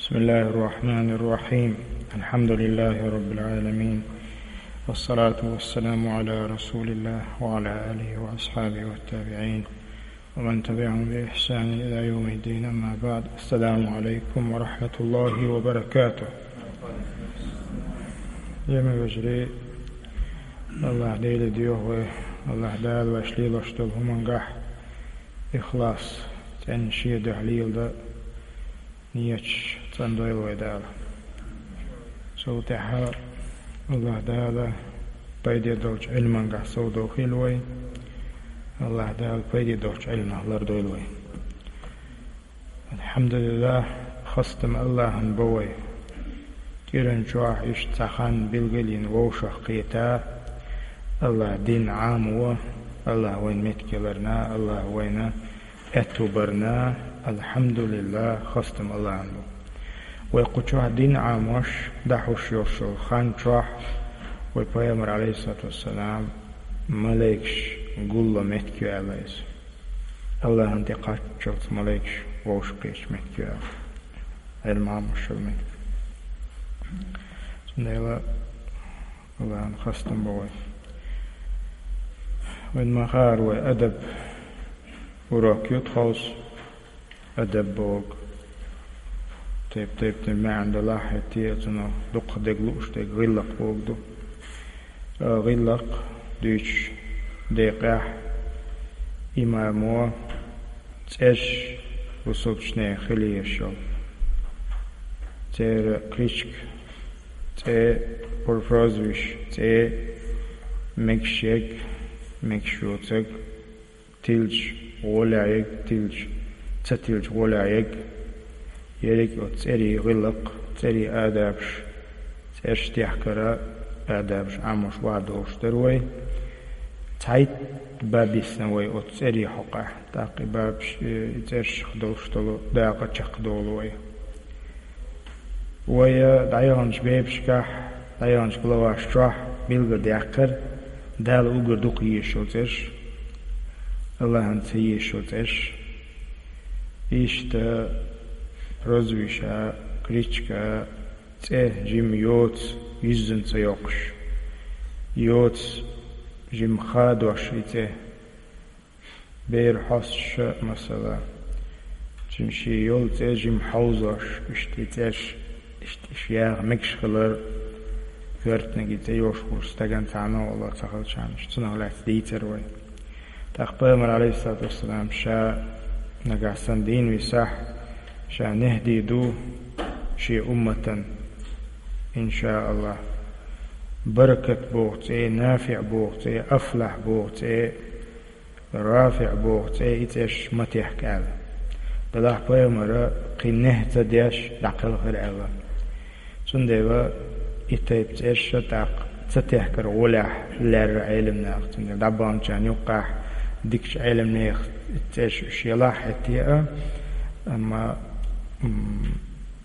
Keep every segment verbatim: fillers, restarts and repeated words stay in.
بسم الله الرحمن الرحيم. الحمد لله رب العالمين. والصلاة والسلام على رسول الله وعلى آله وأصحابه والتابعين ومن تبعهم بإحسان إلى يوم الدين. أما بعد. السلام عليكم ورحمة الله وبركاته. Динна вежарий, Аллахь Дала духьа вай, Аллахь Дала вайш лелош долу хӀумангахь ихлас, цӀена Шен дуьхьа леладан нийяташ цӀандойла вай Дала. Цул тӀаьхьа Аллахь Дала пайде долчу Ӏилмангахь совдохийла вай. Аллахь Дала пайде долчу Ӏилманах лардойла вай. Алхьамдулиллах, хастам Аллахьан бо вай. КӀиран чохь иштта цхьа хан билгалйина вовшах кхета, Аллахь дин Ӏамаво, Аллахь вайна меттиг яларна, Аллахь вайна аьтту барна, алхьамдулиллах, хастам Аллахьан бу. Вай кху чохь дин Ӏамош, дӀахьош йолуш йолу хан чохь вай пайхамар, алейхиссалату вассалам, малайкаш гулло меттиг ю аьлла иза. Аллахьан тӀе кхаччалц малайкаш вовшах кхечу меттиг ю аьлла. Ӏилма Ӏамош йолу меттиг. Цундела Аллахьан хастам бо вай. Вайн ма-хаара вай адаб урок ю тховса. Адаб боху. Тайп-тайпана маьӀна далахь а, хӀетте а цунах дукха дерг лууш дерг гӀиллакх боху ду. Ткъа гӀиллакх дуьйцучу декъехь имамо цӀерш бусалбачу нехан хила езаш йолу. Церан кличка, цӀе, прозвище, цӀе, мегаш ерг, мегаш йоцург, тилча гӀолехь ерг, тилча, ца тилча гӀолехь ерг. Ерриг оцу цӀерийн гӀиллакх, цӀерийн адабаш, цӀераш техкара адабаш Ӏамош ван долуш дара вай. Цхьайтта баб йисна вай оцу цӀерийн хьокъехь. ТӀаккха и бабаш, и цӀераш долуш долу дакъа чекхдолу вай. Вай дӀаяханчу бепашкахь, дӀаяханчу главаш чохь билгалдаьккхира Дала уггар дукха езаш йолу цӀераш, Аллахьан ца езаш йолу цӀераш. Иштта прозвище, кличка, цӀе жима йоцу, юьззина ца йоккхуш. Йоцу жима хадош и цӀе. Бер хьостуш, масала, цуьнан шен йолу цӀе жима хьовзош, иштта и цӀераш, иштта иша яха мегаш хилар, коьртаниг и цӀе йолуш волчу стагана цхьана а вала ца хилчарна, цунах лаьцна дийцира вай. ТӀаккха пайхамар, алейхиссалату вассалам, ша нагахь санна дийна висахь, ша нехь дийр ду шен умматан, иншааллах, баракат боху цӀе, нафиӀ боху цӀе, афлахь боху цӀе, рафиӀ боху цӀе, и цӀераш ма техка аьлла. Делахь пайхамара кхин нехь ца деш дӀакхелхира аьлла. Цундела и тайпа цӀераш тӀаккха ца техкара гӀолехь лаьрра Ӏеламнаха. Цундела дӀабаханчарна юккъехь дикачу Ӏеламнехан цӀераш уьш елахь а, хӀетте а, амма, м,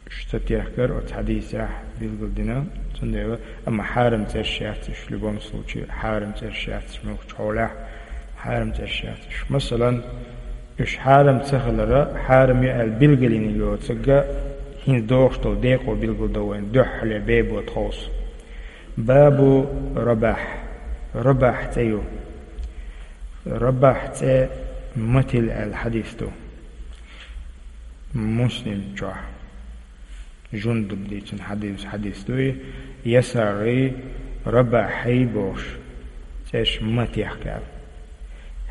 уьш ца техкара оцу хьадисехь билгалдина. Цундела, амма хьарам цӀераш яц уьш, в любом случае, хьарам цӀераш яц уьш, муьлххачу хьолехь хьарам цӀераш яц уьш. Масалан, уьш хьарам ца хилар, хьарам ю аьлла билгалйина йоцург, хӀинца догӀуш долу декъо билгалдо вайна дуьххьале бебо тховса. Бабу Рабахь. Рабахь цӀе ю. Рабахь цӀе ма тилла аьлла хьадис ду Муслим чохь. Жундуб дийцина хьадис, хьадис ду и, Ясарий, Рабахьий бохуш, цӀераш ма техка аьлла.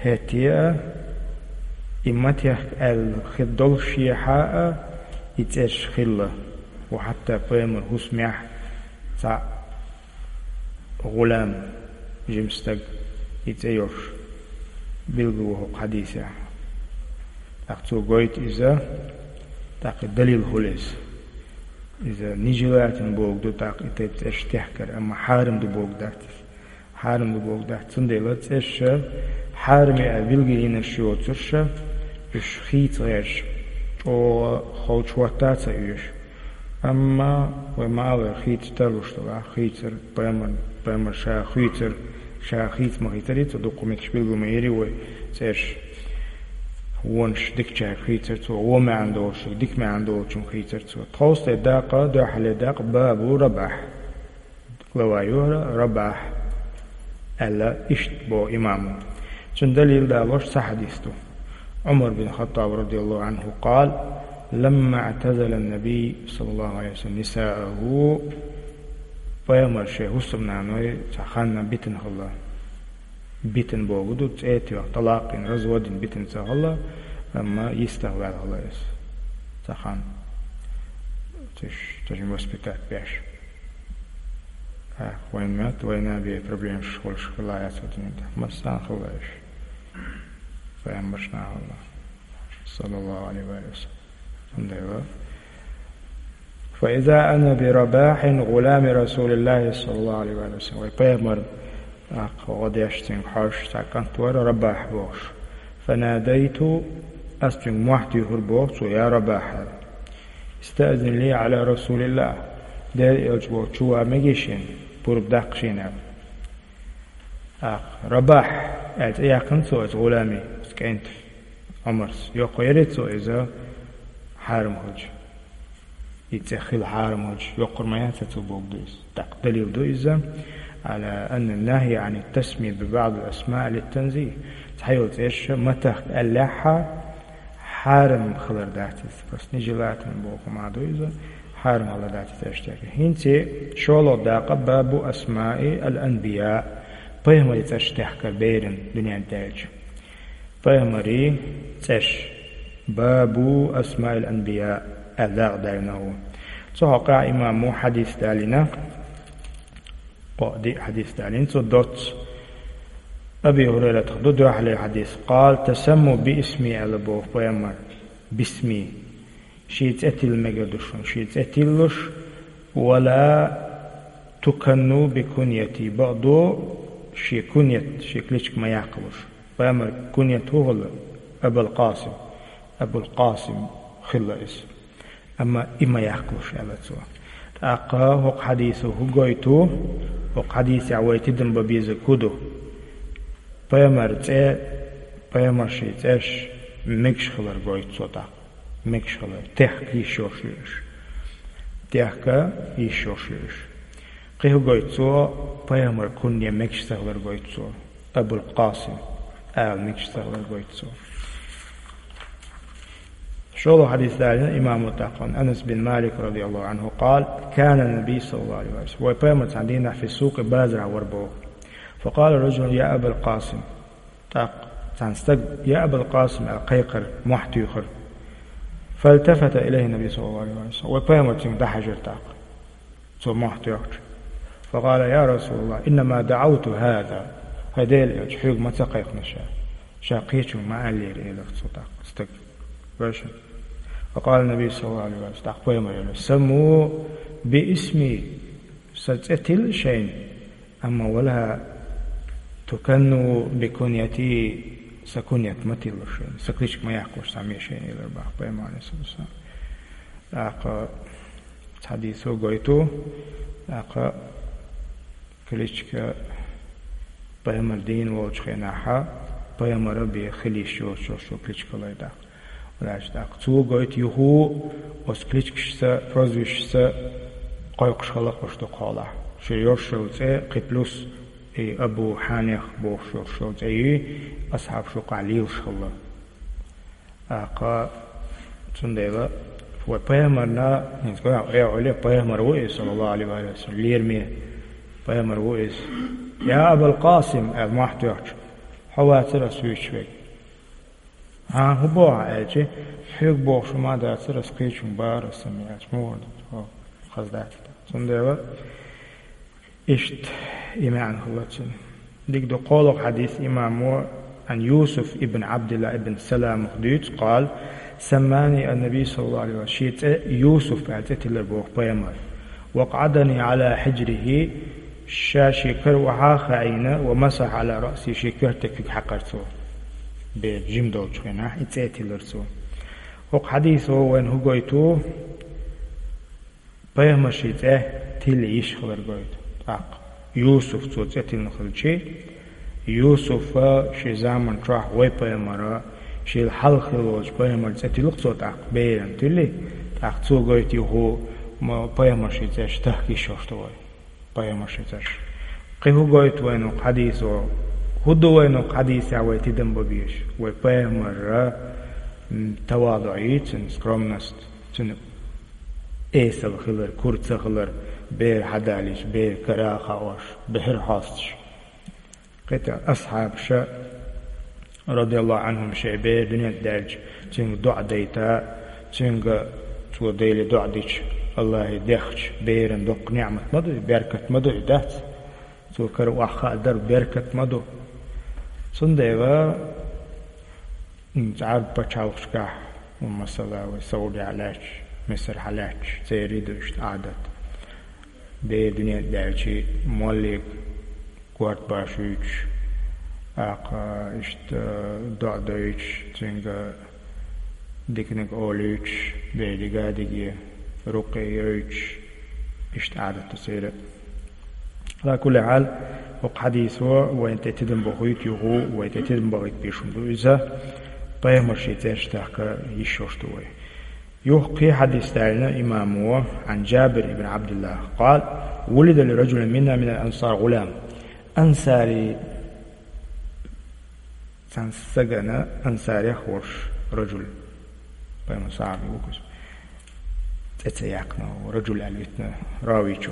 ХӀетте а, и ма техка аьлла хир долушехь а, и цӀераш хилла, ва хьатта пайхамар хӀусамехь цхьаъ гӀулам, жима стаг, и цӀе йолуш билгало ву хӀокху хьадисехь. ТӀаккха цо гойту иза, тӀаккха и далил хуьлу иза. Иза нежелательно бохург ду, тӀаккха и тайпа цӀераш техкар, амма хьарам ду бохург дац иза. Хьарам ду бохург дац. Цундела цӀераш хьарам ю аьлла билгалйинарш йоцурш, уьш хийца гӀерташ, чӀогӀа холчу хӀотта а ца оьшу. Амма вай ма аллара, хийца тарлуш делахь, хийцар пайхамар, пайхамар ша хуьйцура, ша хийца ма хийцарий, цо дуккха меттигаш билгал ма йирий вай цӀераш. Вонаш дикачаьрга хийцар цо, вон маьӀна долчунга, дика маьӀна долчунга хийцар цо. Тховстай дакъа, дуьххьале дакъа, бабу Рабахь. Глава юхьара Рабахь аьлла, иштта боху имамо. Цуьнан далил далош цхьа хьадис ду. Ӏумар бин Хаттаб радияллаху Ӏанху къала: «Ламма аътазала ан-набий саллаллаху Ӏалайхи ва саллам нисааху», пайхамар шен хӀусамнаной цхьа ханна битина хилла. Битина бохург ду, цӀе тоьхна, тӀалакъ йина, развод йина битина ца хилла, амма йистах ваьлла хилла иза. Цхьа ханна. Цуьш, цуьшин воспитать беш. А, вайн мет, вайна бе проблемаш хуьлуш хилла яц хӀокху дуьнен тӀехь. Массарна хилла уьш. Пайхамаршна хилла. Саллаллаху Ӏалайхи ва саллам. Цундела. «Фа иза ана би Рабахьин гулами Расулиллахи саллаллаху Ӏалайхи ва саллам». Вай пайхамар, а, гӀо деш цуьнга хьожуш цхьа кӀант вара, Рабахь бохуш. «Фанадайту», ас цуьнга мохь туьйхира боху цо: «Я Рабахь», аьлла. «Истаъзин ли Ӏала Расулиллах». Дела элча волчу чу ван мегий шена, пурба даккха шена аьлла. ТӀаккха Рабахь аьлла цӀе яьккхина цо иза гӀуламе, иза кӀант Ӏумарс. Йоккхур яра цо иза хьарам хилча. И цӀе хила хьарам хилча, йоккхур ма яц цо бохург ду иза. ТӀаккха далил ду иза: «Ала анна нахья Ӏан ат-тасмия би баъд ал-асмаъ лит-танзих». Цхьайолу цӀераш ма тахка аьллехь а, хьарам хилар дац иза. Просто нежелательно боху хӀума ду иза, хьарам хилар дац иза аьлла тӀехь. ХӀинца шолгӀа дакъа бабу асмаи ал-анбия, пайхамарийн цӀераш тахкар беран дуьнен тӀе аьлча. Пайхамарийн цӀераш, бабу асмаил анбия аьлла дакъа даьлла ву. Цу хьокъехь имамо хьадис далийна, кхо-диъ хьадис далийна цо доцца. Аби ХӀурайратах ду дуьххьарлера хьадис: «Къала: тасамму би исми», аьлла боху пайхамар, бисми. Шен цӀе тилла мегар ду шуна, шен цӀе тиллуш, «ва ла туканну би куньяти», бакъду, шен куньят, шен кличка ма яккхалуш. Пайхамар куньят хӀун хилла? Абул Къасим. Абул Къасим хилла иза. Амма и ма яккхалуш, аьлла цо. ТӀаккха хӀокху хьадисо хӀун гойту? ХӀокху хьадисехь вай тидам бан безарг хӀун ду? Пайхамар цӀе, пайхамаршийн цӀераш мегаш хилар гойту цо тӀаккха. Мегаш хилар. Техка йиш йолуш ю уьш. Техка йиш йолуш ю уьш. Кхин хӀун гойту цо? Пайхамар кунья мегаш ца хилар гойту цо. Абул Къасим ала мегаш ца хилар гойту цо. ШолгӀа хьадис далийна имамо тӀаккха. Анас бин Малик радияллаху Ӏанху къала: «Кана набий саллаллаху Ӏалайхи ва саллам». Вай пайхамар цхьана дийнахь фи сукъи, базарахь вара боху. Факъала раджулун: «Я Абал Къасим». ТӀаккха цхьана стага: «Я Абал Къасим», аьлла кхайкхира, мохь туьйхира. Фалтафата илайхи набий саллаллаху Ӏалайхи ва саллам. Вай пайхамар цуьнга дӀахьаьжира тӀаккха, цо мохь тоьхча. Факъала: «Я Расулаллах, иннама даӀавту хӀаза». ХӀай Делан элча, хьоьга ма ца кхайкхина ша. Ша кхечунга ма аьллера, элира цо тӀаккха стага. Вешан. Факъала набий саллаллаху Ӏалайхи ва саллам, тӀаккха пайхамар элира: «Самму би исми», сан цӀе тилла шайна. Амма «ва ла туканну би куньяти», сан куньят ма тилла шайна, сан кличка ма яккхалуш цхьамма шайна, элира боху пайхамар, Ӏалайхи ссалату вассалам. ТӀаккха цхьа хьадисо гойту, тӀаккха кличка пайхамар дийна волчу хенахь, пайхамар бен хила йиш йоцуш йолу кличка лай даккха. Валлахьи, тӀаккха цо гойту юха оцу кличкашца, прозвищашца кхойкхуш хилла уьш дукха хьолахь. Шен йолуш йолу цӀе кхин плюс и Абу Хьанех бохуш йолуш йолу цӀе юй, асхьабаш юкъахь лелаш хилла. ТӀаккха цундела вай пайхамарна, хӀинца гой ахь, э, Ӏуьлле, пайхамар ву иза, саллаллаху Ӏалайхи ва саллам, лераме пайхамар ву иза. «Я Абал Къасим», аьлла мохь тоьхча, хьо вацара ас вуьйцуш верг. «Хьан, хӀун боху хьан?» аьлча, «Хьоьга бохуш хӀума дацара, ас кхечунга бахара ас», амма аьлча, муха ду, хьо хаза дац. Цундела иштта и маьӀна хилла цуьнан. Дика ду, кхоалгӀа хьадис имамо Ӏан Юсуф ибн Ӏабдилла ибн Саламах дуьйцу, къала: «Саммани ан-набий саллаллаху Ӏалайхи ва саллам», шен цӀе Юсуф аьлла цӀе тиллира боху пайхамар. «Ва акъӀадани Ӏала хьиджрихи», ша шен кара охьа а хаийна, «ва масахьа Ӏала раъси», шен коьрте куьг хьаькхира цо. Бер жима долчу хенахь и цӀе тиллира цо. ХӀокху хьадисо вайна хӀун гойту? Пайхамаршийн цӀе тилла йиш хилар гойту. ТӀаккха Юсуф цо цӀе тиллина хилчи, Юсуфа шен заман чохь вай пайхамара Шийла хьалха хилла волчу пайхамаран цӀе тиллуш цо тӀаккха, берана тилли, тӀаккха цо гойту юха ма-, пайхамарийн цӀераш тахка йиш йолуш ду вай. Пайхамарийн цӀераш. Кхин хӀун гойту вайна хӀокху хьадисо? ХӀун ду вайна хӀокху хьадисехь вай тидам бан безаш? Вай пайхамаран, м, таваду йийцина, скромность, цуьнан эсала хилар, кура ца хилар, бер хьадалийча, бер кара а хууш, бер хьостуш. Кхин тӀе асхьабаша, радияллаху Ӏанхум, шайн бер дуьнен тӀе даьлча, цуьнга доӀа дайта, цуьнга, цо Деле доӀа дича, Аллахье дехча, беран доккха неӀмат ма ду и, беркат ма ду и, дац? Цо кара охьахаа дар беркат ма ду. Цундела, м, Ӏарбийн пачхьалкхашкахь, масала, вай Саудехь лаьтташ, Мисархьа лаьтташ, церан ду иштта Ӏадат. Бер дуьнен тӀе даьлча, моллега корта башуьйтуш, тӀаккха иштта доӀа дойтуш, цуьнга диканиг олуьйтуш, бер дика а диге, рукъе йойтуш, иштта Ӏадат ду церан. Ала кулли хьал, хӀокху хьадисо вайна тӀе тидам бохуьйту юха, вай тӀе тидам бахийта безаш хӀума ду иза, пайхамарийн цӀераш тахка йиш йолуш ду вай. Юха кхин хьадис даьлла имамо, Ӏан Джабир ибн Ӏабдиллах, къала: «Вулида ли раджулин минна минал ансар гӀулам». Ансари цхьана стагана, ансарех волуш раджул, пайхамаран сахьаби ву кхуза. ЦӀе ца яьккхина, раджул аьлла витина равичо.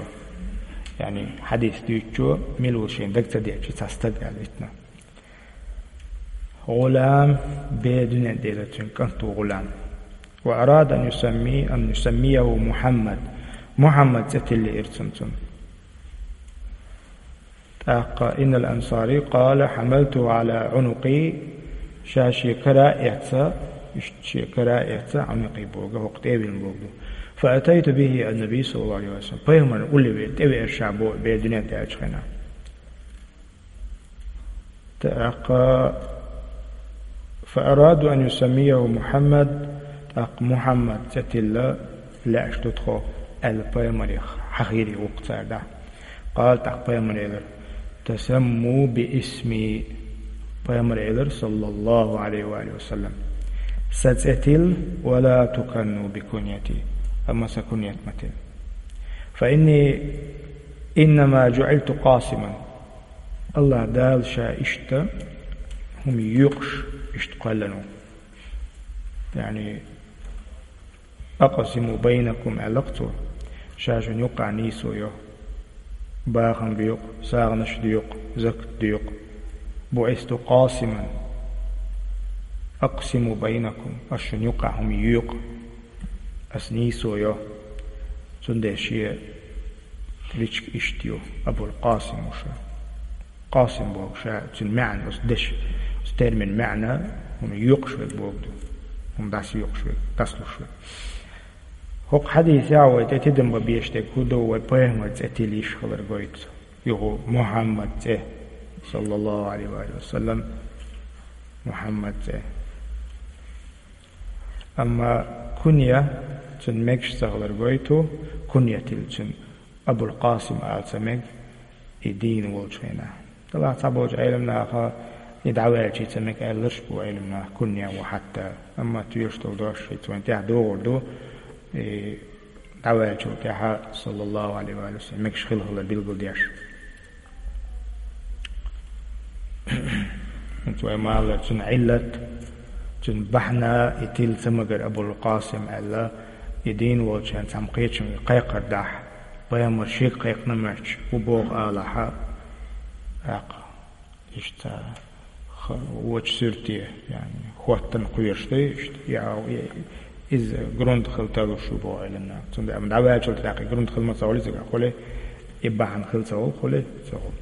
Яъни хьадис дуьйцучо, мила ву шена дага ца деъча, цхьа стаг аьлла витина. ГӀулам, бер дуьнен тӀе даьлла цуьнан кӀант ву ГӀулам. Ва арада ан юсамми-, ан юсаммияху Мухьаммад. Мухьаммад цӀе тиллира цунна цунна. ТӀаккха иннал ансари къала: «Хьамалтуху Ӏала Ӏунукъи», ша шен кара а эцна, иштта шен кара а эцна, Ӏунукъи боху, хӀокху тӀе а виллина боху ду. «Фа атайту бихи ан-набий саллаллаху Ӏалайхи ва саллам». Пайхамарна улле ве-, тӀевеара ша боху, бер дуьнен тӀе даьллачу хенахь. ТӀаккха: «Фа араду ан юсаммияху Мухьаммад», тӀаккха Мухьаммад цӀе тилла лаьаш ду тхо аьлла, пайхамарех хьахийра вукху цара дӀа. Къала, тӀаккха пайхамара элира: «Тасамму би исми». Пайхамара элира, саллаллаху Ӏалайхи ва алихи ва саллам: «Сан цӀе тилла, ва ла туканну би куньяти», амма сан куньят ма тилла. «Фа инни иннама джуӀилту къасиман». АллахӀ Дала ша иштта хӀума йоькъуш иштта кхоьллина ву. Яъни, «Акъсиму байнакум», аьлла-кх цо, ша шуна юккъехь нийсо йо. Бахам доькъу, сагӀанаш доькъу, закат доькъу. «БуӀисту къасиман, акъсиму байнакум», ас шуна юккъехь хӀума йоькъу. Ас нийсо йо. Цундела шен кличка иштта ю, Абул-Къасим ву ша. Къасим боху ша, цуьнан маьӀна, оцу дешан, оцу термин маьӀна, хӀума йоькъуш верг боху ду. ХӀума дӀасайоькъуш верг, дӀасалуш верг. ХӀокху хьадисехь вай тӀе тидам бан безаш дерг хӀун ду, вай пайхамар цӀе тилла йиш хилар гойту. Юха Мухьаммад цӀе, саллаллаху Ӏалайхи ва саллам, Мухьаммад цӀе. Амма кунья цуьнан мегаш ца хилар гойту, кунья тилла цуьнан Абул-Къасим ала ца мега, и дийна волчу хенахь. Делахь цхьаболчу Ӏеламнаха и дӀаваьлча ца мега аьлларш бу Ӏеламнаха, кунья ву хьатта. Амма тоьшалла долу дош шица вайн тӀехь догӀур ду, и дӀаваьллачул тӀаьхьа, саллаллаху Ӏалайхи ва саллам, мегаш хила хилар билгалдеш. ХӀинца вай ма-аллара, цуьнан Ӏиллат, цуьнан бахьана и тилла ца магар Абул-Къасим аьлла, и дийна волчарна цхьамма кхечуьнга кхайкхар дахь, пайхамар шега кхайкхина моьттуш, хӀун боху алахьа, тӀаккха иштта ха-, вочу суьрте, яъни, хӀоттана кхоьруш ду иштта, я, я, иза грунт хила талуш ю боху Ӏеламнаха. Цундела амма дӀаваьллачул тӀаьхьа и грунт хила ма ца хуьлу иза хуьлу, и бахьана хила ца хуьлу, хуьлу, ца хуьлу.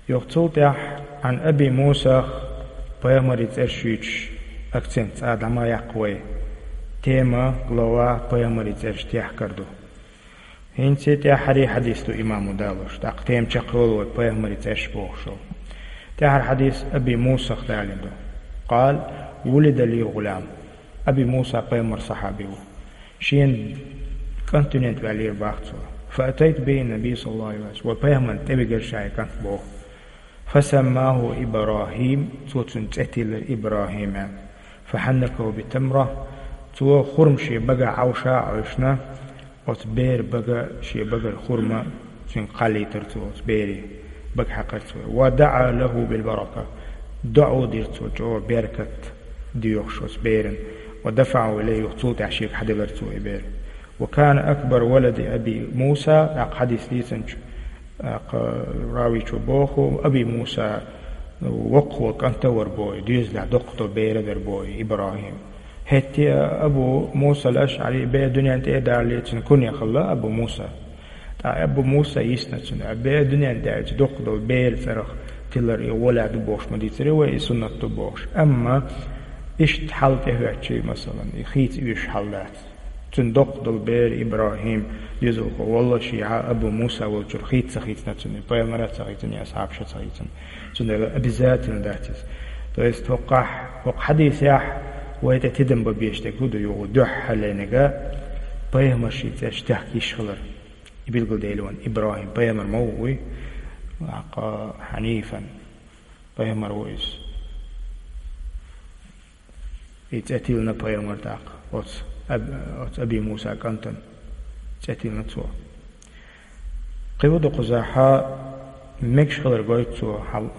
Юха цул тӀаьхьа Ӏан Аби Мусах пайхамарийн цӀерш юьйцуш, акцент цкъа дӀа ма яккха вай. Тема, глава пайхамарийн цӀерш техкар ду. ХӀинца тӀаьххьара хьадис ду имамо далош, тӀаккха тема чекхйолу вай пайхамарийн цӀерш бохуш йолу. ТӀаьххьара хьадис Аби Мусах далийна ду. Къала: «Вулида ли гӀулам». Аби Муса пайхамаран сахьаби ву. Шена кӀант дуьнен тӀе ваьллера боху цо. «Фа атайту бихи ан-набий саллаллаху Ӏалайхи ва саллам». Вай пайхамарна тӀевигира ша и кӀант боху. «Фа саммаху ИбрахӀим», цо цуьнан цӀе тиллира ИбрахӀим аьлла. فحنكه بتمرة, цо хурма шен багахь Ӏовша а Ӏовшина, оцу беран бага, шен багара хурма цуьнга кхаллийтира цо, оцу беран бага хьаькхира цо. ودعا له بالبركة, доӀа дира цо чӀогӀа беркат доьхуш оцу берана. ودفعه إليه, юха цул тӀаьхьа шега хьаделира цо и бер. وكان أكبر ولد أبي موسى, тӀаккха хьадис дийцинчу, тӀаккха равичо боху, Аби Муса воккхаволу кӀант а вара боху, доьзалехь доккха долу бер а дара боху, ИбрахӀим. ХӀетте а Абу Муса ал-АшӀари бер дуьнен тӀе а далале, цуьнан куьне хилла Абу Муса. ТӀаккха Абу Муса йисна цуьнан, бер дуьнен тӀе аьлча доккха долу беран цӀарах тилар и гӀолехь ду бохуш ма дийцира вай, и суннат ду бохуш. Амма иштта хьал тӀехӀоьттича, масалан, и хийца оьшуш хьал дац. Цуьнан доккха долу бер ИбрахӀим, доьзалхо, валлахӀи, шен Абу Муса волчуьра хийца ца хийцина цуьнан, пайхамара ца хийцина, асхьабаша ца хийцина. Цундела обязательно дац иза. То есть хӀокхахь, хӀокху хьадисехь вай тӀе тидам бан безаш дерг хӀун ду юха, дуьххьарлерниг пайхамарийн цӀераш техка йиш хилар. И билгалдели вайн ИбрахӀим пайхамар ма ву вуй, тӀаккха хьанифан пайхамар ву иза. И цӀе тиллина пайхамар тӀаккха, оцу Аб-, оцу Аби Муса кӀантана цӀе тиллина цо. Кхин хӀун ду кхузахь, мегаш хилар гойту цо, хьал-,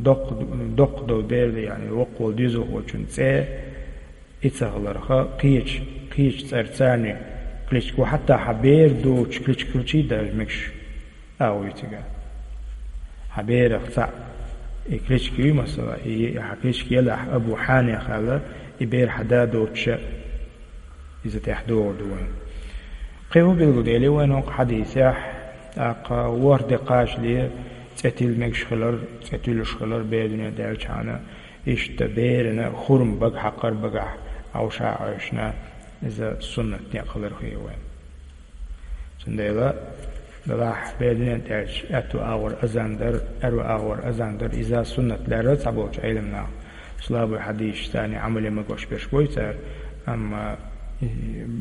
доккха, доккха долу бер ду, яъни воккхаволу доьзалхочун цӀе и ца хиларх, кхечу, кхечу цӀарца царна кличка ву, хьатта хьан бер доцучу кличка хилчий даже мегаш. А вуй цигахь. Хьан берах цхьаъ и кличка юй, масала, и хьан кличка елахь Абу Хьаниф аьлла, и бер хьан да доцуша, иза тӀехь догӀур ду вайн. Кхин хӀун билгалдели вайн хӀокху хьадисехь, тӀаккха ворхӀ де кхачале цӀе тилла мегаш хилар, цӀе туьллуш хилар бер дуьнен тӀе аьлчхьана, иштта берана хурма бага хьакхар багахь Ӏовша а Ӏовшина, иза суннат некъ хилар хир вайн. Цундела, делахь бер дуьнен тӀе аьлча, аьтту агӀор азан дар, аьрру агӀор азан дар, иза суннат лаьрра цхьаболчу Ӏеламнаха. Слабый хьадисаш царна Ӏамале магош берш бой цара, амма, э,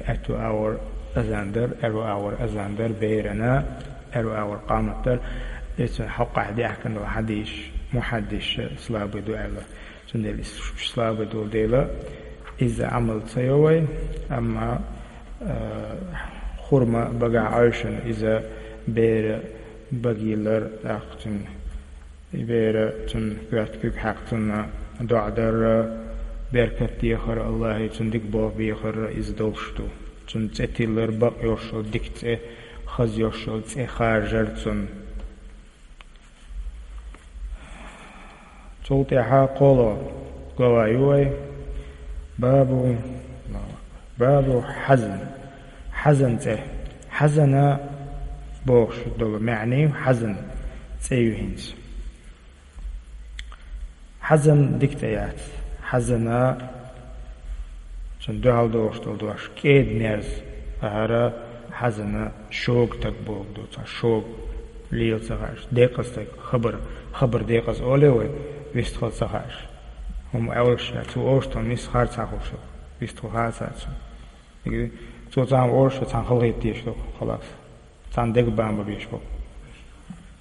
аьтту агӀор азан дар, аьрру агӀор азан дар, берана, аьрру агӀор къамат дар, эцун хьокхахь даьхкина долу хьадисаш, мухьаддисаша слабый ду аьлла. Цундела иза слабый долу дела, иза Ӏамал ца йо вай, амма, э, хурма багахь Ӏовшина иза бер багахь йиллар, тӀаккха цуьнан, и бер цуьнан коьрта куьг хьаькхна цунна доӀа дар, беркат дехар, АллахӀе цунна дика болх бехар, иза долуш ду. Цуьнан цӀе тиллар, бакъ йолуш йолу дика цӀе, хаза йолуш йолу цӀе харжар цунна. Цул тӀаьхьа кхоалгӀа глава ю вай. Бабу, бабу хьазан. Хьазан цӀе. Хьазана бохуш долу маьӀна ю, хьазан цӀе ю хӀинца. Хьазан дика цӀе яц. Хьазана, цунна дуьхьал догӀуш долу дош, кӀеда-мерза. ХӀара хьазана шога стаг бохург ду, цхьа шога, лела ца хууш, декъаза стаг, хабар, хабар декъаза олий вай, вистхила ца хууш. ХӀума аьлча, цо олуш долу нисса хар ца хууш, вистхила хаа ца цунна. Цо цхьаьна олуш, цхьаьна халахетта дезаш ду, халас. Цхьаьна дегабан бан безаш бу.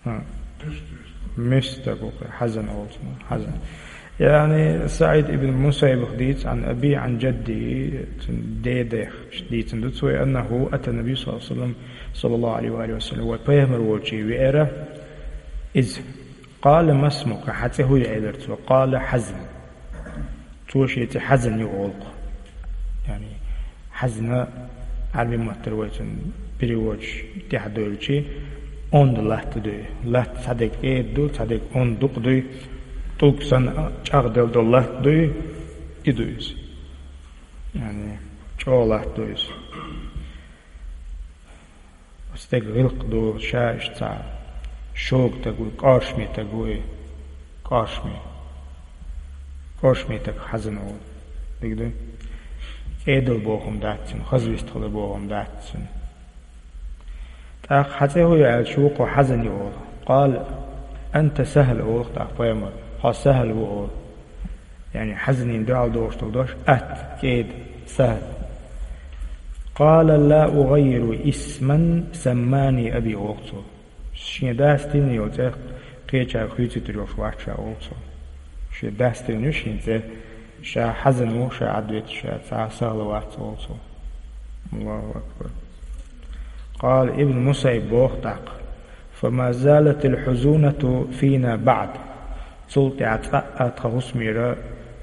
ХӀа. Миска стаг ву, хьазан олу цунах, хьазан. Яъни СаӀид ибн Мусаййибах дийца, عن أبيه عن جده, цуьнан дедах дийцина ду цо, أنه أتى النبي صلى الله عليه وسلم، صلى الله عليه وآله وسلم, вай пайхамар волчу веара иза. قال: ما اسمك, хьан цӀе хӀун ю, элира цо. قال: حزن. Цо шен цӀе хьазан ю олу-кх. Яъни, хьазна Ӏарбийн маттара вай цунна переводаш тӀехь дойлучи, онда латта ду и. Латта цхьа дерг кӀеда ду, цхьа дерг онда дукха ду и, тӀулг санна чӀагӀделла долу латта ду и, и ду иза. Яъни, чӀогӀа латта ду иза. Стаг гӀиллакх ду, ша иштта цхьа шога стаг ву, кӀоршаме стаг ву и, кӀоршаме. КӀоршаме стаг хьазан ву. Дика ду? КӀедал бохам дац цуьнан, хаза вистхила бохам дац цуьнан. ТӀаккха хьан цӀе хӀун ю аьлча, вукхо хьазан ю олу. قال: أنت سهل, олу-кх тӀаккха пайхамар. Хьо Сахьл ву олу. Яъни хьазанийн дуьхьал догӀуш долу дош, атта, кӀеда, Сахьл. قال: لا أغير اسما سماني أبي, олу цо. Шен дас тиллина йолу цӀе кхечаьрга хуьйцуьйтур йолуш вац ша, олу цо. Шен дас тиллина ю шен цӀе, Ша хьазан ву, ша Ӏадвитта, ша цхьа сагӀа вац, олу цо. Аллаху акбар. Къала Ибн Мусайб боху тӀаккха: «Фама залатил хьузунату фина баӀд». Цул тӀаьхьа цкъа а тхан хӀусамера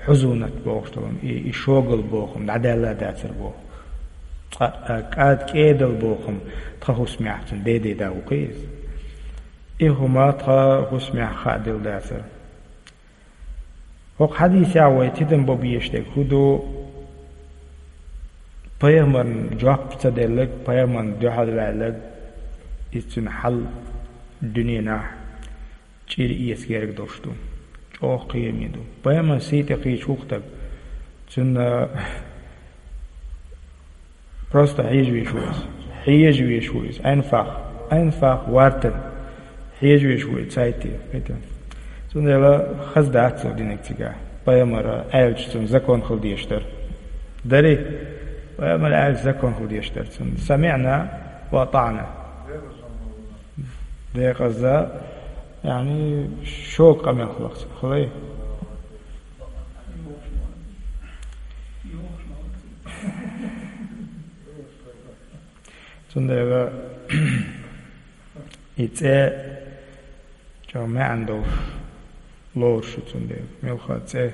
хьузунат бохуш долу, и, и шогал боху, дӀадаьлла дацара боху. Цкъа а кӀад-, кӀедал боху тхан хӀусамехь, цуьнан деден да ву кхин иза. И хӀума тхан хӀусамехь хаа дела дацара. ХӀокху хьадисехь вай тидам бан безаш дерг хӀун ду? Пайхамарна жоп ца делларг, пайхамарна дуьхьал ваьлларг, иза цуьнан хьал дуьненахь чӀир эца герга долуш ду. ЧӀогӀа кхераме ду. Пайхамарна сий тӀе кхийча ву-кх стаг. Цуьнан Просто хьежа везаш ву иза. Хьежа везаш ву иза. Анфах. Анфах вартан. Хьежа везаш ву иза, цайтий. Кхетий? Цундела хаза дац цо динарг цигахь. Пайхамара аьлча цунна закон хила дезаш дара. Дарий? Пайхамара аьлча закон хила дезаш дара цунна. «СамиӀна ва атаӀна». Декъаза, яъни, шога къамел хиларх ца хилай. Цундела и цӀе чӀогӀа маьӀна долуш лоруш ю цундела. Мелха цӀе,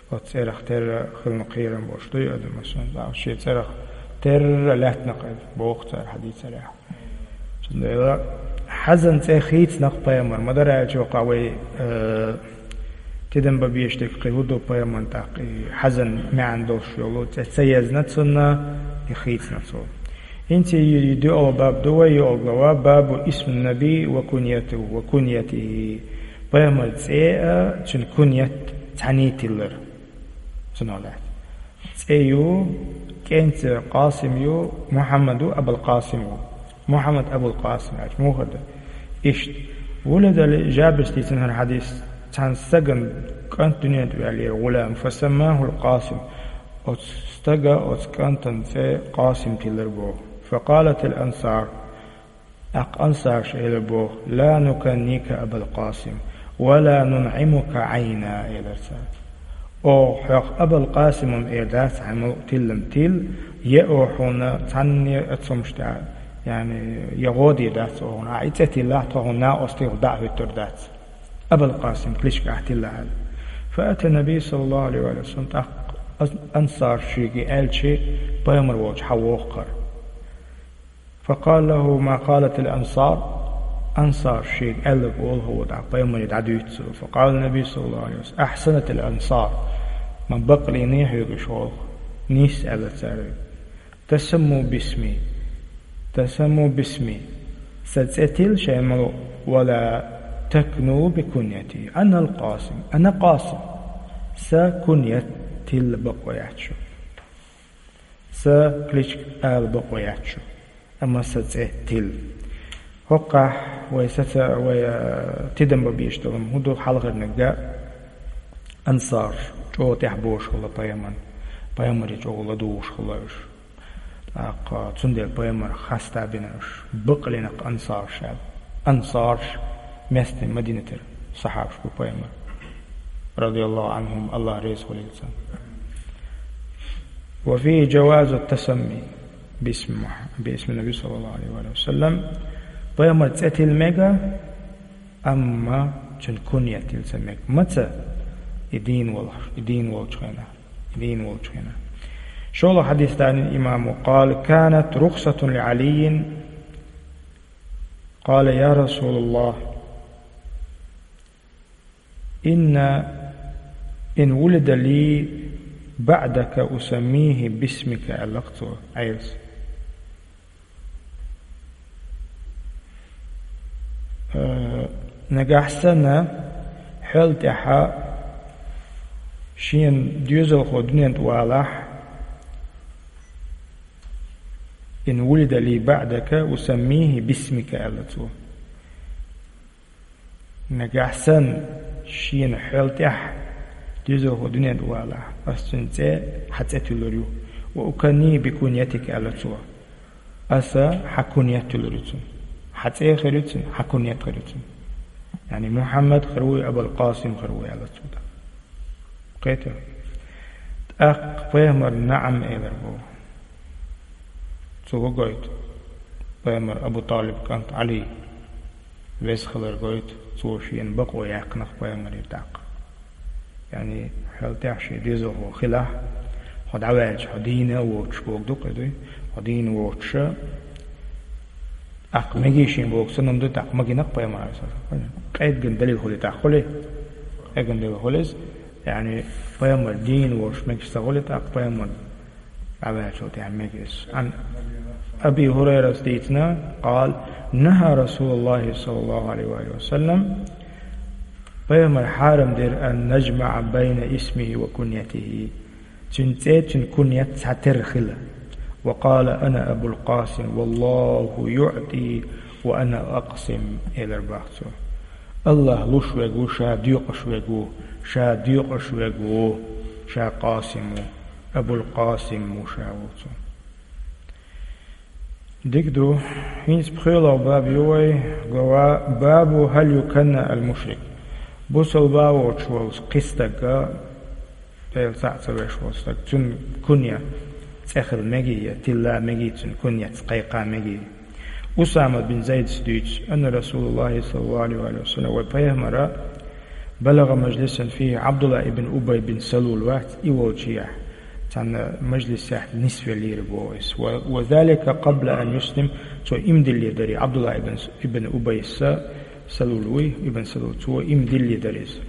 оцу цӀерах терра хилла кхерам болуш дуй адам, масалан, шен цӀерах терра лаьттина кхайда, боху цара хьадийцарехь. Цундела хьазан цӀе хийцинарх пайхамар ма дара аьлча, вай, э, тидам бан безаш дерг кхин хӀун ду, пайхамарна тӀаккха и хьазан маьӀна долуш йолу цӀе ца езна цунна, и хийцина цо. ХӀинца и доьалгӀа баб ду вай, йоьалгӀа глава, бабу исмин наби ва куньяту, ва куньятихи. Пайхамар цӀе а, цуьнан куньят цхьаьний тиллар. Цунах лаьцна. ЦӀе ю, кӀентан цӀе Къасим ю, Мухьаммад ву, Абулкъасим ву. Мухьаммад Абулкъасим аьлча, муха ду? Иштта. Вулида ли, жабис дийцина хӀара хьадис, цхьана стагана кӀант дуьнен тӀе ваьллера, гӀулам, фасаммахул Къасим. Оцу стага, оцу кӀантана цӀе Къасим тиллар боху. Факъалатил ансар. ТӀаккха ансарша элира боху: «Ла нуканника, Абал Къасим, ва ла нунъимука Ӏайна», — элира цара. «Оха хьох Абал Къасим эр дац, хьайн мукъа тиллам тилла, я оха хьуна цхьанне а цомаш тӀехь, яъни, я гӀо дийр дац оха хьуна. Ахьа и цӀе тиллахь, тхо хьуна накъостий хила дӀа а хӀуьттур дац. Абал Къасим кличка ахь тиллахь», — аьлла. Фаата Наби, саллаллаху алейхи ва саллям, тӀаккха ансарша шуьга аьлча, пайхамар волчу хьан воху хӀара. فقال له ما قالت الأنصار. Ансарша шега аьлларг олу хӀокхо тӀаккха пайхамаре дӀадуьйцу цо. فقال النبي صلى الله عليه وسلم: أحسنت الأنصار. Ма бакълийний хьоьга уьш олу. Нийса аьлла цара. تسموا باسمي. تسموا باسمي. Сан цӀе тилла шайн мукъа, ولا تكنوا بكنيتي. أنا القاسم. أنا قاسم. Сан куньят тилла бакъо яц шу. Сан кличка ала бакъо яц шу, амма сан цӀе тилла. ХӀокхахь вай саца, вай, а, тидам бан безаш долу хӀун ду, хьалхарниг а, ансарш чӀогӀа тӀаьхьа бозуш хилла пайхамарна, пайхамаре чӀогӀа ладугӀуш хилла уьш. ТӀаккха цундела пайхамар хаста бина уьш, бакълина ансарш аьлла. Ансарш местный Мадинатера сахьабаш бу пайхамар, радияллаху анхум, Аллах реза хуьлийла царна. وفيه جواز التسمي باسم مح-، باسم النبي صلى الله عليه وآله وسلم. Пайхамар цӀе тилла мега, амма цуьнан куньят тилла ца мега. Маца? И дийна волуш, и дийна волчу хенахь. Дийна волчу хенахь. ШолгӀа хьадис данин имамо: قال: كانت رخصة لعلي، قال: يا رسول الله، إن، إن ولد لي بعدك أسميه باسمك, аьлла-кх цо Ӏелас. Э, нагахь санна, хьол тӀаьхьа шена доьзалхо дуьнен тӀе валахь, إن ولد لي بعدك أسميه باسمك, аьлла цо. Нагахь санна шена хьол тӀаьхьа доьзалхо дуьнен тӀе валахь, ас цуьнан цӀе хьан цӀе туьллур ю. وأكنيه بكنيتك, аьлла цо. Аса хьан куньят туьллур ю цунна. Хьан цӀе хир ю цунна, хьан куньят хир ю цунна. Яъни Мухьаммад хир вуй, Абал Къасим хир вуй, аьлла цо тӀаккха. Кхетий? ТӀаккха пайхамар наӀам элар боху. Цо хӀу гойту? Пайхамар Абу ТӀалиб кӀант Ӏали веза хилар гойту, цо шена бакъо яьккхинарг пайхамаре тӀаккха. Яъни, хьалтӀехь шен дезалхо хилахь, хьо дӀаваьлча, хьо дийна а воцуш боху ду-кх и дуй, хьо дийна воцуша, тӀаккха мегий шен боху санна ду, тӀаккха магийнарг пайхамар. Къегина далил хуьлий тӀаккха, хуьлий? Къегина далил хуьлу иза. Яъни, пайхамар дийна волуш мегаш ца хуьлий тӀаккха пайхамар дӀаваьллачул тӀаьхьа мега иза. Ан Аби Хурайрас дийцина, къала: «Нахьа Расулуллахи саллаллаху Ӏалайхи ва саллам», пайхамар хьарам дира: «Ан нажмаӀа байна исмихи ва куньятихи», цуьнан цӀе, цуьнан куньят цхьатерра хила. «Ва къала: ана Абул Къасим, валлаху юъти ва ана акъсим», элар бах цо. АллахӀ луш верг ву, ша доькъуш верг ву, ша доькъуш верг ву, ша Къасим ву, Абул Къасим ву ша ву цо. Дика ду, хӀинца пхоьалгӀа баб ю вай, глава: «Бабу хӀал юканна ал-мушрик». Бусалба воцуш волу кхин стаг, Дела цхьаъ ца веш волу стаг, цуьнан кунья цӀе хила мегий, я тилла мегий, цуьнан куньяц кхайкха мегий. Усама бин Зайдас дуьйцу, анна Расулуллахи саллаллаху Ӏалайхи ва саллам, вай пайхамара, балагӀа мажлисан фихи Ӏабдулла ибн Убай бин Салул вац, и волчу яхь, цхьана мажлисехь нисвеллера боху иза. Ва, ва залика къабла ан юслим, цо иман дилле дарий, Ӏабдулла ибн, ибн Убайса, Салул вуй, ибн Салул, цо иман дилле дара иза.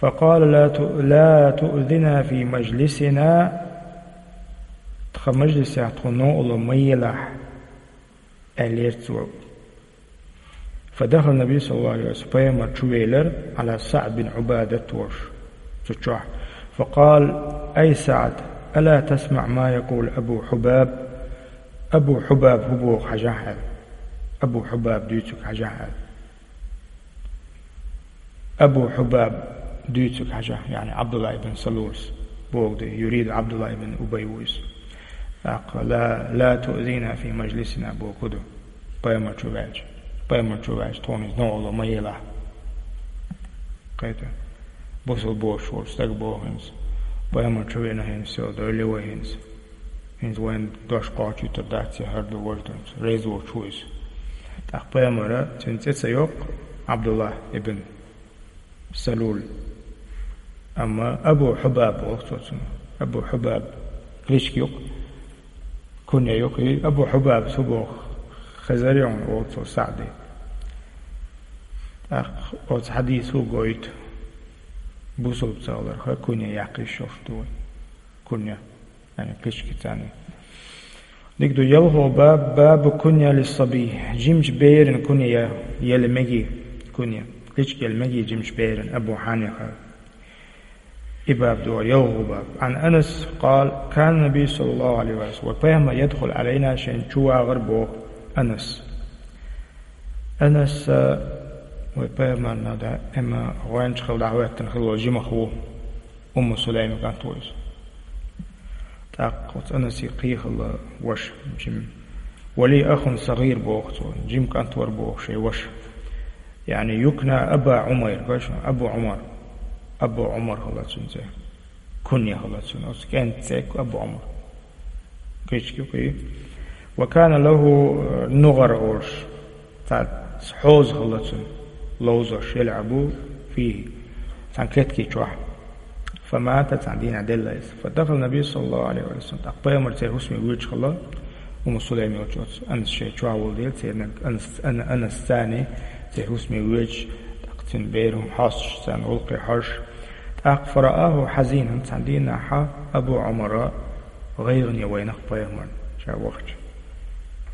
«Факъала: ла ту-, ла туъзина фи мажлисина», тхан мажлисехь тхуна новкъарло ма елахь, аьллера цо. Фадахала Наби саллаллаху Ӏалайхи ва саллам, пайхамар чу велира, Ӏала СаӀд бин Ӏубадат волуш, цу чохь. Факъала: «Ай СаӀд, ала тасмаӀ ма якъулу Абу Хьубаб?» Абу Хьубаб хӀу боху хьажахь аьлла. Абу Хьубаб дуьйцург хьажахь аьлла. Абу Хьубаб дуьйцург хьажа, яъни Ӏабдулла ибн Салулс боху ду, юриду Ӏабдулла ибн Убай ву иза. ТӀаккха ла, ла туъзина фи мажлисина боху ду. Пайхамар чу ваьлча. Пайхамар чу ваьлча, тхуна иза новкъарло ма елахь. Кхета. Бусалба воцуш волчу стага боху хӀинца. Пайхамар чу вина хӀинца, всё, дойла вай хӀинца. ХӀинца вайн дош кхочуьйтур дац, я хӀара ду, важа ду, реза воцуш ву иза. ТӀаккха пайхамара цуьнан цӀе ца йоккху, Ӏабдулла ибн Салул. Амма Абу Хьубаб боху цо цунах. Абу Хьубаб кличка ю-кх, кунья ю-кх, и Абу Хьубаб цо боху, хезарий хьуна, боху цо, СаӀде. ТӀаккха оцу хьадисо гойту, бусалба ца хиларх кунья яккха йиш йолуш ду вай. Кунья. Яъни кличка царна. Дика ду, ялхо баб, бабу кунья лиссабий. Жимачу беран кунья я-, яла мегий кунья. Кличка яла мегий жимачу беран, Абу Хьанифа. И баб ду, ялхо баб. Ан Анас къала, кана Наби саллаллаху Ӏалайхи ва саллам, ва пайхамар ядхулу Ӏалайна, шайна чу вагӀар боху Анас. Анас, а, вай пайхамарна даима гӀоьнча хила дӀахӀоьттина хила волу жимах ву. Умму Сулайма кӀант ву иза. ТӀаккха оцу Анасе кхин хилла ваша, жима. Ва ли ахун сагӀир боху цо, жима кӀант вара боху шайн ваша. Яъни юкна Аба Ӏумайр, гой шуна, Абу Ӏумар. Абу Ӏумар хилла цуьнан цӀе. Кунья хилла цуьнан, оцу кӀентан цӀе Абу Ӏумар. Кхечки кхий. Ва кана лаху нугӀар олуш. Цхьа хьоза хилла цуьнан, ловзош, ялъабу фихи, цхьана кеткий чохь. Фамата, цхьана дийнахь делла иза. Фадахала Наби саллаллаху Ӏалайхи ва саллам. ТӀаккха пайхамар церан хӀусаме воьдуш хилла, Умму Сулайма йолчу оцу Анас шайн чохь волу дела, церан Анас, Ана-, Анас царна церан хӀусаме воьдуш, тӀаккха цуьнан берам хьостуш, царна гӀуллакхе хьожуш. ТӀаккха фарааху хьазинан, цхьана дийнахь Абу Ӏумара гӀайгӀане вайнах пайхамарна, ша вахча.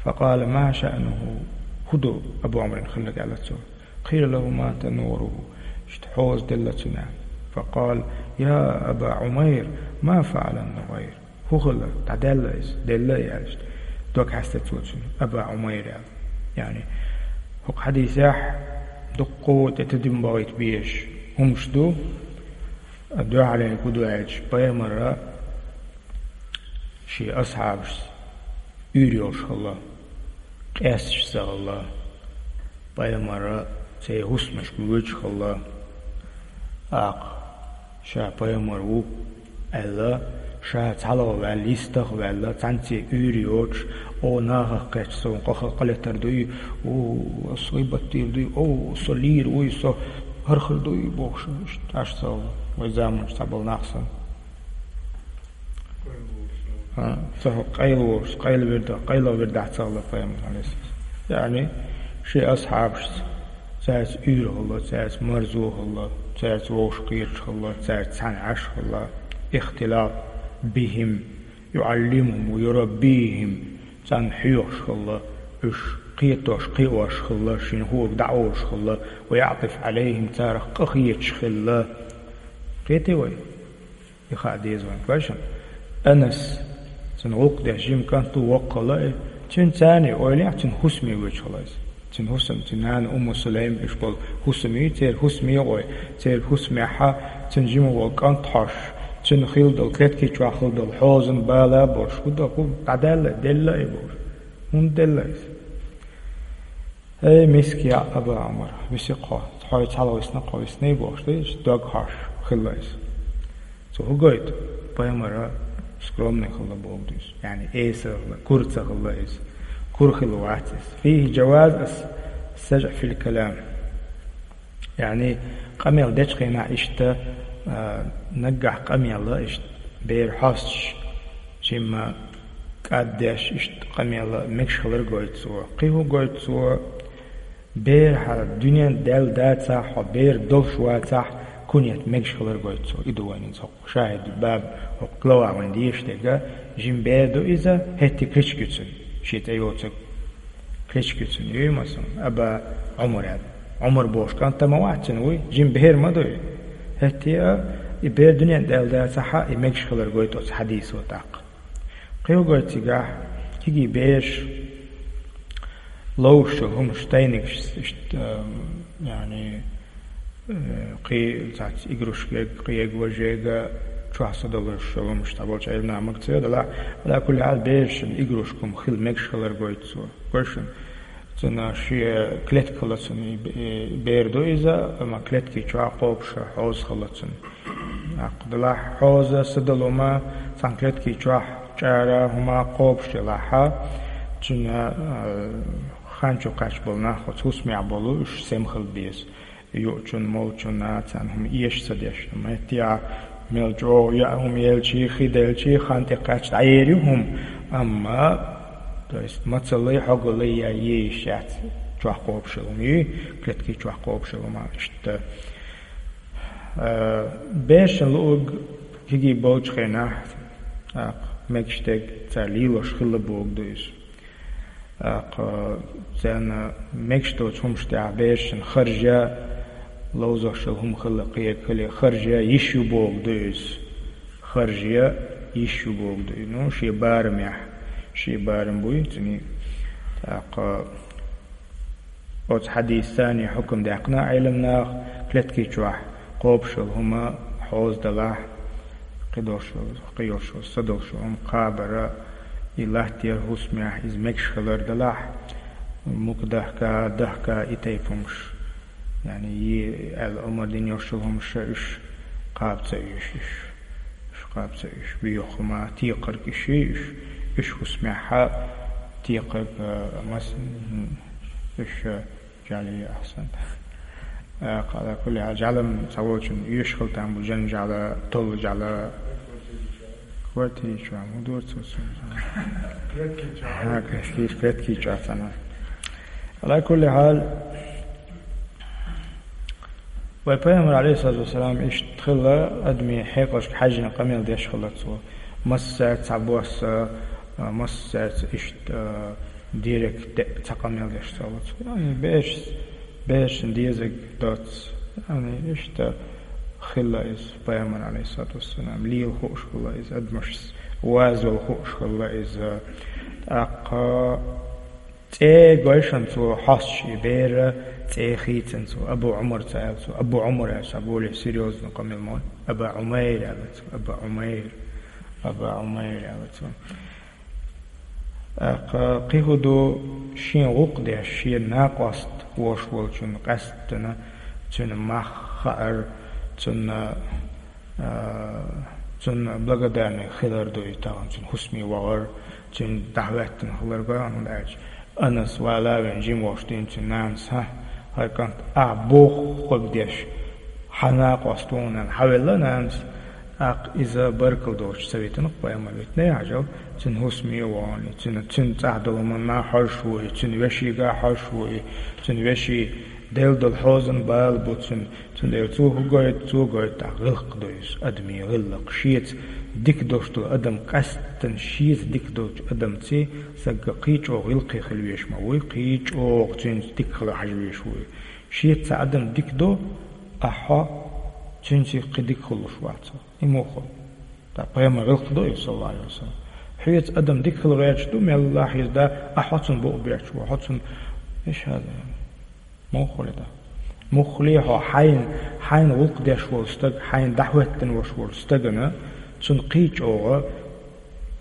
Факъала: «Ма шаънуху?» ХӀун ду Абу Ӏумаран хилларг, аьлла цо. Къила лаху: «Мата нугӀаруху». Иштта хьоза делла цуьнан. Факъала: «Я Аба Ӏумайр, ма фаъала нугӀайр?» ХӀун хилла? ДӀадаьлла иза? Делла, аьлла иштта. Дог хьаьста цо цуьнан, Аба Ӏумайр аьлла. Яъни, хӀокху хьадисехь дуккха а тӀетадим бахийта безаш хӀумаш ду, дуьхьале гу ду аьлча, пайхамара шен асхьабашца уьйр йолуш хилла, къесташ ца хилла, пайхамара церан хӀусамашка воьдуш хилла, тӀаккха ша пайхамар ву аьлла, Ша цхьалгӀа ваьлла, йистах ваьлла, цхьанне уьйр йоцуш, о, нахах кхетча, со къаха къа летар дуй, о, со гӀийбат дийр дуй, о, со лийр вуй, со хӀара хир дуй бохуш, иштта Ӏаш ца хилла, вай заманчу цхьаболу нах санна. А, ца хӀу къайла волуш, къайла вирда, къайла вирдахь ца хилла пайхамар, алейхиссалам. Яъни, шен асхьабашца, цаьрца уьйр хилла, цаьрца марзо хилла, цаьрца вовшах кхеташ хилла, цаьрца цхьаьна Ӏаш хилла, ихтилат бихим, юӀаллимухум ва юраббихим, царна хьоьхуш хилла, уьш кхетош, кхиош хилла, шена хӀорг дӀаолуш хилла, ва яӀтифу Ӏалайхим, царах къахеташ хилла. Кхетий вай? И хаа деза вайн, кхоьшан. Анас, цуьнан гӀуллакх деш жима кӀант ву, воккха хилла и. Цуьнан царний ойлехь, цуьнан хӀусаме воьдуш хилла иза. Цуьнан хӀусам, цуьнан нана Умму Сулайм, уьш болу хӀусамий, церан хӀусаме гӀой, церан хӀусамехьа, цуьнан жима волу кӀант хьош, цуьнан хилла долу клетки чохь хилла долу хьозан бала а болуш, хӀун дан, хӀун дӀадаьлла, делла и бохуш. ХӀунда делла иза? Эй, миска яӀ, Аба Ӏумар, виси хьо, хьо цхьалгӀа висна, хьо висний бохуш, дийш, дог хьош хилла иза. Цо хӀун гойту? Пайхамар скромный хилла боху иза. Яъни эса хилла, кура ца хилла иза. Кура хилла вац иза. Фихи джаваз ас-саджӀ фил калам. Яъни къамел дечу хенахь иштта, а, наггахь къамел а иштта бер хьостуш, жимма кӀаддеш иштта къамел а мегаш хилар гойту цо. Кхин хӀун гойту цо? Бер хьан дуьнен даьлла дацахь, хьо бер долуш вацахь, кунет мегаш хилар гойту цо. И ду вайна иза хӀокху шахӀид баб, хӀокху глава вайн дезаш дерг, жима бер ду иза, хӀетте кличка ю цуьнан, шен цӀе йоцург. Кличка ю цуьнан, юй масал, Аба Ӏумар аьлла. Ӏумар бохуш кӀант а ма вац цуьнан, вуй, жима бер ма дуй. ХӀетте а, и бер дуьнен даьлла дацахь, и мегаш хилар гойту оцу хьадисо тӀаккха. Кхин хӀун гойту цигахь, кегий бераш ловзуш йолу хӀумаш, тайнигаш, иштта, а, яъни, э, кхин цхьацца игрушкега, кхин ега важега чохь са долуш йолу хӀумаш, цхьаболчу Ӏилманхаша ма ца йо, делахь, Ӏала кулли хьал, берашна игрушка хӀума хила мегаш хилар гойту цо. Гой шуна, цуьнан шен клетка хилла цуьнан, и бе-, бер ду иза, амма клетки чохь кхобуш хьоза хилла цуьнан. ТӀаккха делахь хьоза, са долу хӀума, цхьана клетки чохь чӀара хӀума кхобуш делахь, цуьнан, а, хан чу кхаьчна болу нах, оцу хӀусамехь болу, уьш сема хила беза. Юучунна, молчунна царна хӀума эша ца деш. Амма хӀетте а мел чӀогӀа яа хӀума елчий, хи делчий, хан тӀе кхаьчча дӀаер ю хӀума. Амма, то есть, мацаллий, хьогаллий яа езаш яц чохь кхобуш йолу хӀума, юй, клетки чохь кхобуш йолу хӀума, иштта. Э, берашна луург кегий болчу хенахь, тӀаккха мегаш дерг цара лелош хилла бохург ду иза. ТӀаккха царна мегаш доцу хӀуманаш тӀехь берашна харжа, ловзош йолу хӀума хилла кхин хиле, харжа йиш ю бохург ду иза. Харжа йиш ю бохург ду иза. Ну, шен барамехь, шен барам буй цуьнан. ТӀаккха оцу хьадисца царний хьукам даьккхина Ӏилманхаша, клетки чохь кхобуш йолу хӀума хьоза далахь, кхидолуш йолу, кхин йолуш йолу, са долуш йолу хӀума кхабар, и латтар хӀусамехь, иза мегаш хилар далахь, мука дахка, дахка, и тайпа хӀумаш. Яъни, и аьлла омра дина йолуш йолу хӀумаш, уьш кхаба ца оьшу уьш. Уьш кхаба ца оьшу. Боьха хӀума, текхарг уьш ю уьш. Уьш хӀусамехь текхарг, а, мас-, м, уьш, а, жӀаьла ахьсан. А, кхала кулли хьал, жӀаьла-м цхьаволчун оьшуш хила там бу, жан жӀаьла, толла жӀаьла. Квартира чу, ма дора цо цунна. Клетки чу. Ха, клетки, клетки чу цхьана. Ала кулли хьал, вай пайхамар, алейхиссалату вассалам, иштта хилла, адамийн хьекъалшка хьаьжжина къамел деш хилла цо. Массаьрца цхьабосса, а, массаьрца иштта, а, директ де-, цхьа къамел деш ца хилла цо. Яъни, бераш, берашна дезарг доцу. Яъни, иштта хилла иза пайхамар, алейхиссалату вассалам. Лела хууш хилла иза, адамашца вазол хууш хилла иза. ТӀаккха цӀе гойшан цо хьостуш и бер, цӀе хийцина цо, Абу Ӏумар ца аьлла цо. Абу Ӏумар аьлла цо, более серьёзно къамел ма вай. Аба Ӏумайр аьлла цо, Аба Ӏумайр, Аба Ӏумайр аьлла цо. ТӀаккха кхин хӀун ду, шен гӀуллакх деш, шен накъост вош волчун къаьсттина, цуьнан мах хаар, цунна, а, Цунна благодарный хилар ду и тахан, цуьнан хӀусаме вахар, цуьнан дӀахӀоьттина хилар го, хӀунда аьлча Анас вала вен жима волуш дина цуьнан нанас: «ХӀа, хӀай кӀант, ахь бохург деш, хьан накъост ву хьуна», — аьлла, хьавелла нанас. ТӀаккха иза баркалла долуш ца витина, пайхамар витина, хьажал, цуьнан хӀусаме а вахана, цуьнан, цуьнан цӀахь долу хӀуманна хьожуш ву и, цуьнан вешига хьожуш ву и, цуьнан вешин делла долу хьозан бала бу цуьнан. Цундела цо хӀун гойту, цо гойту, тӀаккха гӀиллакх ду иза, адамийн гӀиллакх. Шеца дика долуш долу адам, къаьсттина шеца дика долчу адамца сага кхин а чӀогӀа гӀиллакхе хила везаш ма вуй, кхин а чӀогӀа цуьнца дика хила хьажа везаш вуй. Шеца цхьа адам дика до, ахь хьо цуьнца кхин дика хуьлуш вац хьо. И муха хуьлу? ТӀаккха пайхамар гӀиллакх до иза, саллаллаху Ӏалайхи ва саллам. Хьоьца адам дика хила гӀерташ ду, меллахь иза да, ахь хьо цунна букъ бетташ ву, хьо цунна, иша хьада. Муха хуьлу и? Муха хуьлу хьо хьайна, хьайна гӀуллакх деш волу стаг, хьайна дӀахӀоьттина волуш волу стагана, цунна кхин а чӀогӀа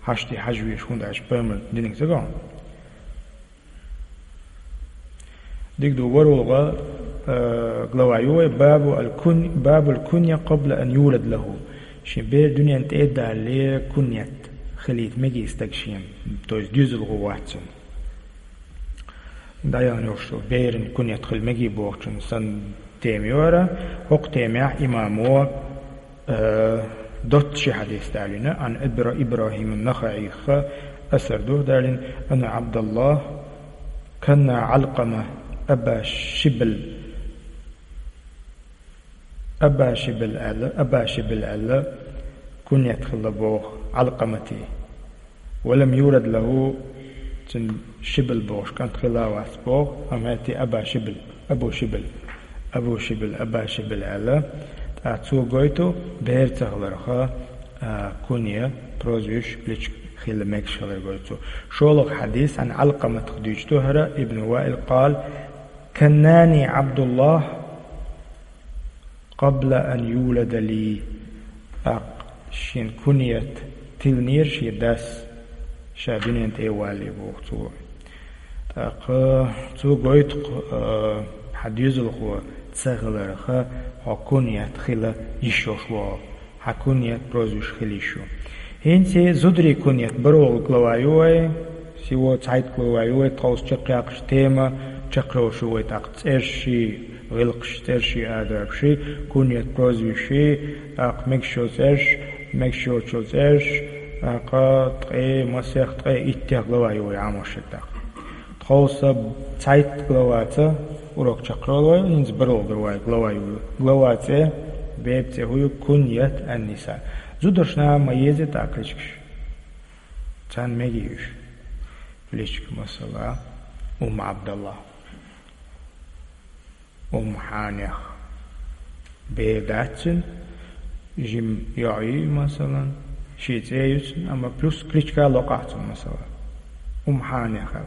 хьашт хьажа везаш, хӀунда аьлча пайхамар динарг ца го хьуна. Дика ду, ворхӀалгӀа, э, глава ю вай, бабу аль-кун-, бабуль кунья къабла ан юлад лаху. Шен бер дуьнен тӀе а далале куньят хилийта мегий стаг шена, то есть доьзалхо вац цуьнан. ДӀаяхана йолуш ду, беран куньят хила мегий бохучун санна тема ю хӀара. ХӀокху темехь имамо, э, доцца ши хьадис далийна, Ӏан Ибра-, ИбрахӀим ан-Нахаъийх асар ду далийна, анна Ӏабдаллах канна Ӏалкъама Аба Шибл, Аба Шибл аьлла, Аба Шибл аьлла, куньят хилла боху Ӏалкъаматий. Ва лам юлад лаху, цуьнан Шибл бохуш кӀант хилла вац боху, амма хӀетте Аба Шибл, Абу Шибл, Абу Шибл, Аба Шибл аьлла. ТӀаккха цо гойту бер ца хиларх, а, кунья, прозвище, кличка хила мегаш хилар гойту цо. ШолгӀа хьадис, Ӏан Ӏалкъаматах дуьйцуш ду хӀара, ибн Ваил къала: «Каннани Ӏабдуллах къабла ан юлада ли». ТӀаккха шен куньят тиллинера шен дас, ша дуьнен тӀе а валале боху цо. ТӀаккха цо гойту-кх, а, хьан доьзалхо ца хиларх, хьо куньят хила йиш йолуш ву хьо. Хьан куньят, прозвище хила йиш ю. ХӀинца зударийн куньят бархӀалгӀа глава ю вай, всего цхьайтта глава ю вай, тховса чекхъяккхаш тема, чекхйолуш ю вай тӀаккха цӀерш, гӀиллакхаш, цӀерш, адабаш, куньят, прозвище, тӀаккха мегаш йолу цӀерш, мегаш йоцу цӀерш, тӀаккха ткъе, масех, ткъе иттех глава ю вай Ӏамош дерг тӀаккха. Тховса цхьайтта главаца урок чекхйолу вай, хӀинца бархӀалгӀа глава ю. Глава цӀе, бепа цӀе хӀун ю? Куньят ан-ниса. Зударшна ма еза тӀаккха кличкаш. Царна мегий уьш. Кличка, масала, Умм Ӏабдалла. Умм Хьанех. Бер дац цуьнан, жима йоӀ ю, масалан, шен цӀе ю цуьнан, амма плюс кличка локъахь цунна, масала. Умм Хьанех аьлла.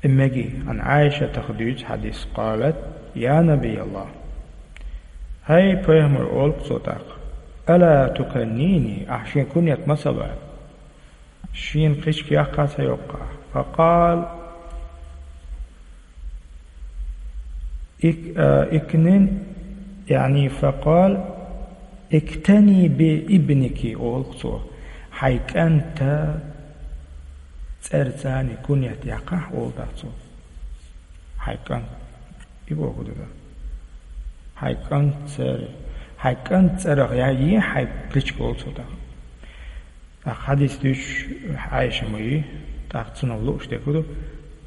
И мегий, Ӏан Ӏайшатах дуьйцу хьадис, къалат: «Я Набияллах». ХӀай пайхамар, олу-кх цо тӀаккха, «ала туканнини», ахь шен куньят ма ца ло? Шена кхичка яккха ца йоккху ахь? Факъал, ик-, а, икнин, яъни факъал, «Иктани би ибники», олу-кх цо. Хьайн кӀанта цӀерца куньят яккхахь, олу тӀаккха цо. Хьайн кӀант. И боху ду дан. Хьайн кӀант цӀер. Хьайн кӀант цӀерах яй хьайн кличка, олу цо тӀаккха. ТӀаккха хьадис дуьйцуш Ӏайша ма ю, тӀаккха цунах лууш дерг хӀун ду?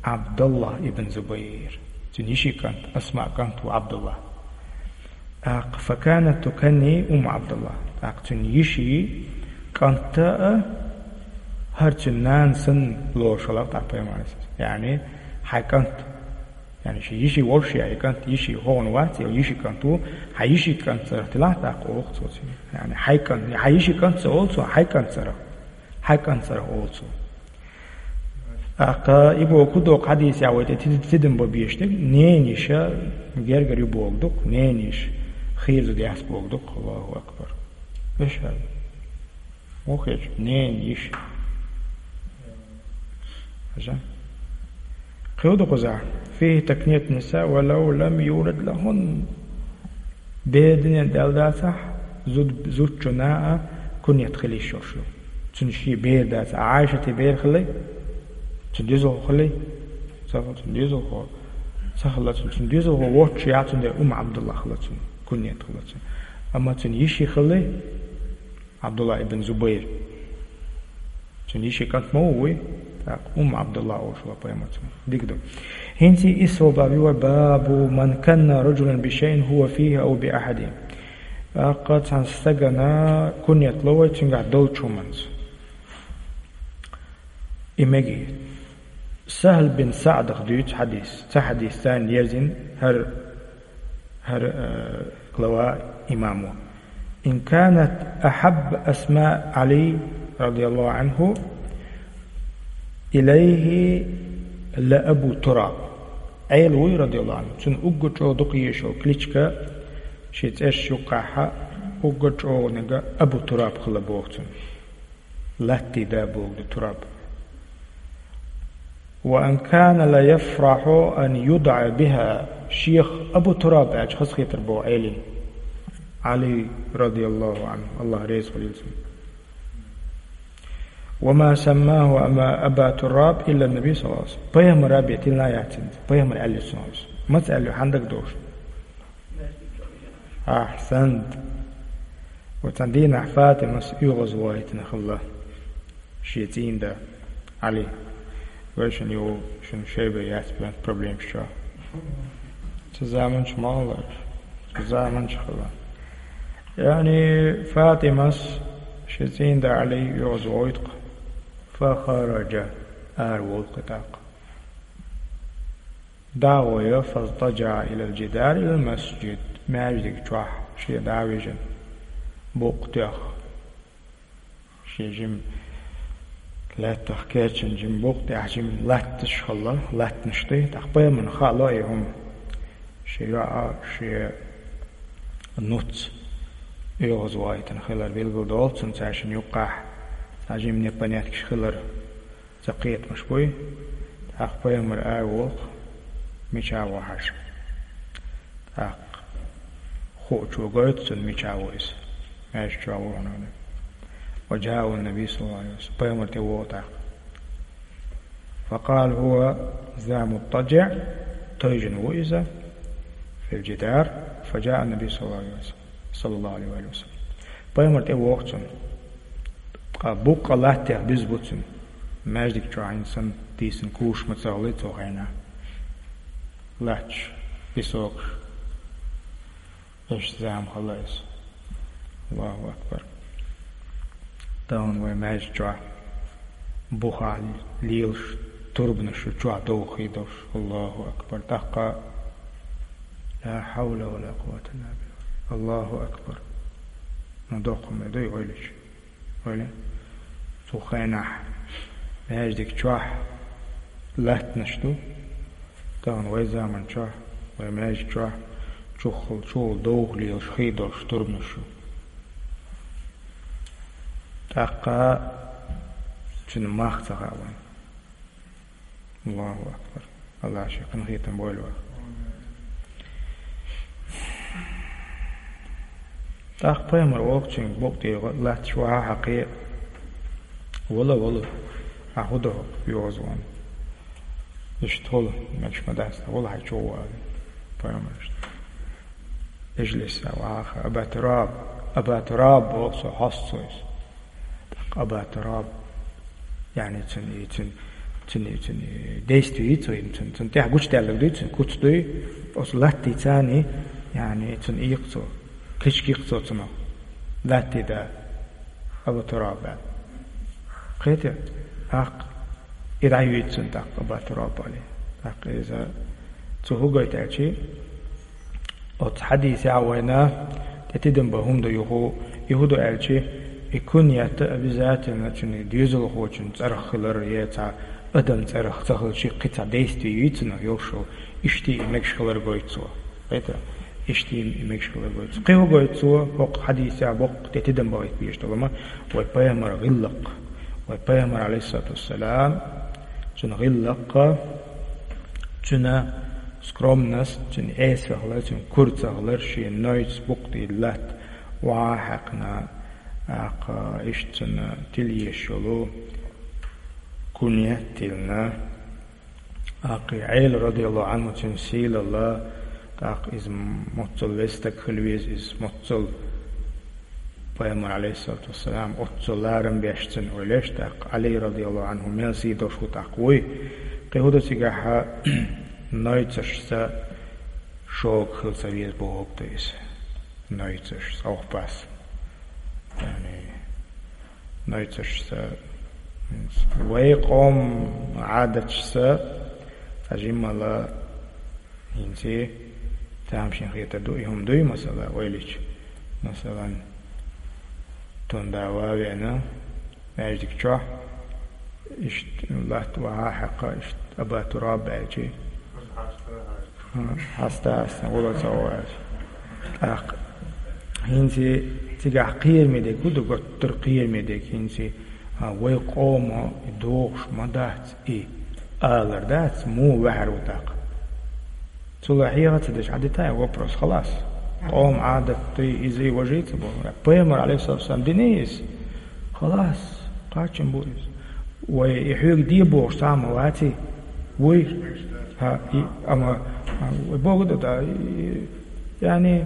Ӏабдаллах ибн Зубайр. Цуьнан йишин кӀант, Асмаъ кӀант ву Ӏабдуллах. ТӀаккха, факанат туканни Умм Ӏабдуллах. ТӀаккха цуьнан йишин кӀанта а, хӀара цуьнан нана санна лоруш хилла-кх тӀаккха пайхамар. Яъни, хьайн кӀант. Яъни, шен йиши волуш я и кӀант, йиши хӀокхуьнан вац, я йишин кӀант ву, хьайн йишин кӀант цӀерах тилахь тӀаккха, олу-кх цо цуьнга. Яъни, хьайн кӀант, хьайн йишин кӀант ца олу цо, хьайн кӀант цӀерах. Хьайн кӀант цӀерах олу цо. ТӀаккха и боху ду-кх хьадисехь вай тӀе тида-, тидам бан безаш дерг, ненан йиша гергара ю бохург ду-кх, ненан йиша хийра зуда яц бохург ду-кх. Аллаху акбар. Вешан. Муха хеташ, ненан йиша. Хьажа. Кхин хӀун ду кхузахь? فيه تكنية النساء ولو لم يولد لهن. Бер дуьнен тӀе аьлла дацахь, Зуд-, зудчунна а куньят хила йиш йолуш ю. Цуьнан шен бер дац, а Ӏайшатан бер хилла, цуьнан доьзалхо хилла, ца хилла цуьнан доьзалхо, ца хилла цуьнан, цуьнан доьзалхо воццушехь, цундела Умму Ӏабдуллахь хилла цуьнан, куньят хилла цуьнан. Амма цуьнан йиши хилла Ӏабдуллахь ибн Зубайр. Цуьнан йишин кӀант ма ву вуй, тӀаккха Умму Ӏабдуллахь олуш вара пайхамар цунах. Дика ду. ХӀинца и исс баб ю вай: «Бабу ман канна раджулан бишайин хӀува фихӀи ау биахьадихӀи». ТӀаккха цхьана стагана куньят ло вай цуьнгахь долчу хӀуманца. И мегий. СахӀл бин СаӀдах дуьйцу хьадис. Цхьа хьадис царна ерзийна хӀара хӀара, э, глава имамо. «Ин канат ахьабба асмаъ Ӏали, радияллаху Ӏанху, илайхи ла Абу Тураб». Ӏела вуй, радияллаху Ӏанху, цунна уггар чӀогӀа дукха езаш йолу кличка, шен цӀераш юккъехь уггар чӀогӀаниг Абу Тураб хилла боху цунна. Латтий да боху ду Тураб. «Ва ан кана ла яфрахьу ан юдӀа биха», шех Абу Тураб аьлча хазахетар боху Ӏелин. Ӏали, радияллаху Ӏанху, Аллах реза хуьлийла цунна. «Ва ма саммаху ама Аба Тураб илла Наби саллаллаху Ӏалайхи ва саллам». Пайхамара бен тилла яц иза. Пайхамара аьлла цунах иза. Маца аьлла, хьан дагадогӀуш? Ахьсант. Оцу дийнахь Фатимас оьгӀазвахийтина хилла шен цӀийнда Ӏали. Вай шуна юха, шуна шайбе яц бен проблемаш чохь. Цу заманчу ма хилла, цу заманчу хилла. Яъни Фатимас шен цӀийнда Ӏали оьгӀазвахийтина. Фахараджа, ара волу кхин тӀаккха. ДӀа а гӀой, фазтаджаӀа илал джидари илал масджид, маьждиг чохь шен дӀа а вижина, букъ тоьхна. Шен жима лаьттах кечйина жима букъ, тӀехь жима латташ хилла, латтанаш ду, тӀаккха пайхамарна хаало и хӀума. Шен йоӀ, шен нуц оьгӀазвахийтина хилар билгалдолу цунна, цаьршинна юккъехь цхьа жима непонятка хилар. Ца кхетамаш буй, тӀаккха пайхамар ара волу кхин, мичахь ву хьажа. ТӀаккха хуучо гойту цунна, мичахь ву иза. Маьждиг чохь ву хьуна. Ва джаъа ан-Наби саллаллаху Ӏалайхи ва саллам. Пайхамар тӀе вогӀу тӀаккха. Факъала хӀува за муттаджиӀ, тойжина ву иза, фил джидар, фаджаъа ан-Наби саллаллаху Ӏалайхи ва саллам. Саллаллаху Ӏалайхи ва саллам. Пайхамар тӀе вогӀу цунна. Ткъа буккъа латтех буьзна бу цуьнан. Маьждиг чохь хӀинца санна дийцина куш ма ца хилла цу хенахь. Латташ, песокаш. Иштта зама хилла иза. Аллаху акбар. Тахана вай маьждиг чохь бухахь лелаш турбанаш ю чохь довха хи долуш. Аллаху акбар. ТӀаккха ла хьавла ва ла къуввата илла билла. Аллаху акбар. Ну, доккха ма дуй ойлачу. Ойла. Цу хенахь маьждиг чохь латтанаш ду. Тахана вай заман чохь, вай маьждиг чохь чуххул, чуххул довха лелаш хи долуш турбанаш ю. ТӀаккха цуьнан мах ца хаьа вайн. Аллаху акбар. Аллах шен къинхетам бойла вайн. ТӀаккха пайхамар воккхачуьнга букъ тӀера латташ вахьа хьакхе, вала, вала, ахьа хӀун до хӀокху оьгӀазвахна? Иштта хуьлу, мегаш ма дац, вала хьайн чу вала. Пайхамар иштта. Ижлис, вахьа, Аба Тураб, Аба Тураб, боху цо, хьоста цо иза. ТӀаккха Аба Тураб, яъни цуьнан, цуьнан, цуьнан, цуьнан действие ю цо, цуьнан, цуьнан тӀехь гучудаьлларг дуй, цуьнан куц дуй, оцу латтийца, яъни цунна ийккха цо, кхечу кийккха цо цунах, латтий да, Аба Тураб аьлла. Кхетий? ТӀаккха и дӀайоьду цунна тӀаккха Аба Тураб аьлла. ТӀаккха иза цо хӀун гойту аьлчи, оцу хьадисехь вайна тӀе тидам бан хӀума ду юха, и хӀун ду аьлчи, и куньят обязательно цуьнан доьзалхочун цӀарах хилар, я цхьа адам цӀарах ца хилчи, кхин цхьа действие ю цунах йолуш, иштта и мегаш хилар гойту цо. Кхетий? Иштта и мегаш хилар гойту цо. Кхин хӀун гойту цо, хӀокху хьадисехь боккха тӀе тидам бан гӀайта безаш долу ма, вай пайхамар гӀиллакх, вай пайхамар, алейхиссалату вассалам, цуьнан гӀиллакх, цуьнан скромность, цуьнан эсвехалар, цуьнан кура ца хилар, шен нойц букъ тӀера латта, Ва хьаькъна, тӀаккха иштта цунна тилла езаш йолу кунья тиллина. ТӀаккха и Ӏела, радияллаху Ӏанху, цуьнан сийлалла, тӀаккха иза моццал веза стаг хила веза, иза моццал пайхамар, алейхиссалату вассалам, оццул ларам беш цунна ойла еш, тӀаккха Ӏали, радияллаху Ӏанху, мел сий долуш ву тӀаккха вуй. Кхин хӀун ду цигахь, нойцашца шога хила ца веза бохург ду иза. Нойцашца, охьапас. Яъни, нойцашца, вай къоман Ӏадаташца цхьа жиммала хӀинца тамашийна хетар ду, и хӀума дуй, масала, ойла йича. Масалан, тунда ван а веана, маьждиг чохь, иштта латта ван а хьаькхна, иштта Аба Тураб аьлчи. Хьаста аса гӀула ца ваьлча. ТӀаккха хӀинца цигахь кхераме дерг хӀун ду, гуттар а кхераме дерг хӀинца, а, вай къомо и дохуш ма дац, и алар дац, муха ваьхьар ву тӀаккха. Цул а хьеха ца деш, Ӏадита и вопрос, халас. Къоман Ӏадат ду иза, и важа ца боху. Пайхамар, алейхиссалату вассалам, дина иза. Халас, кхаччалц бу иза. Вай и хьоьга де бохуш цхьа а ма ваций? Вуй? ХӀа, и, амма, а, вай боху ду, да, и, яъни,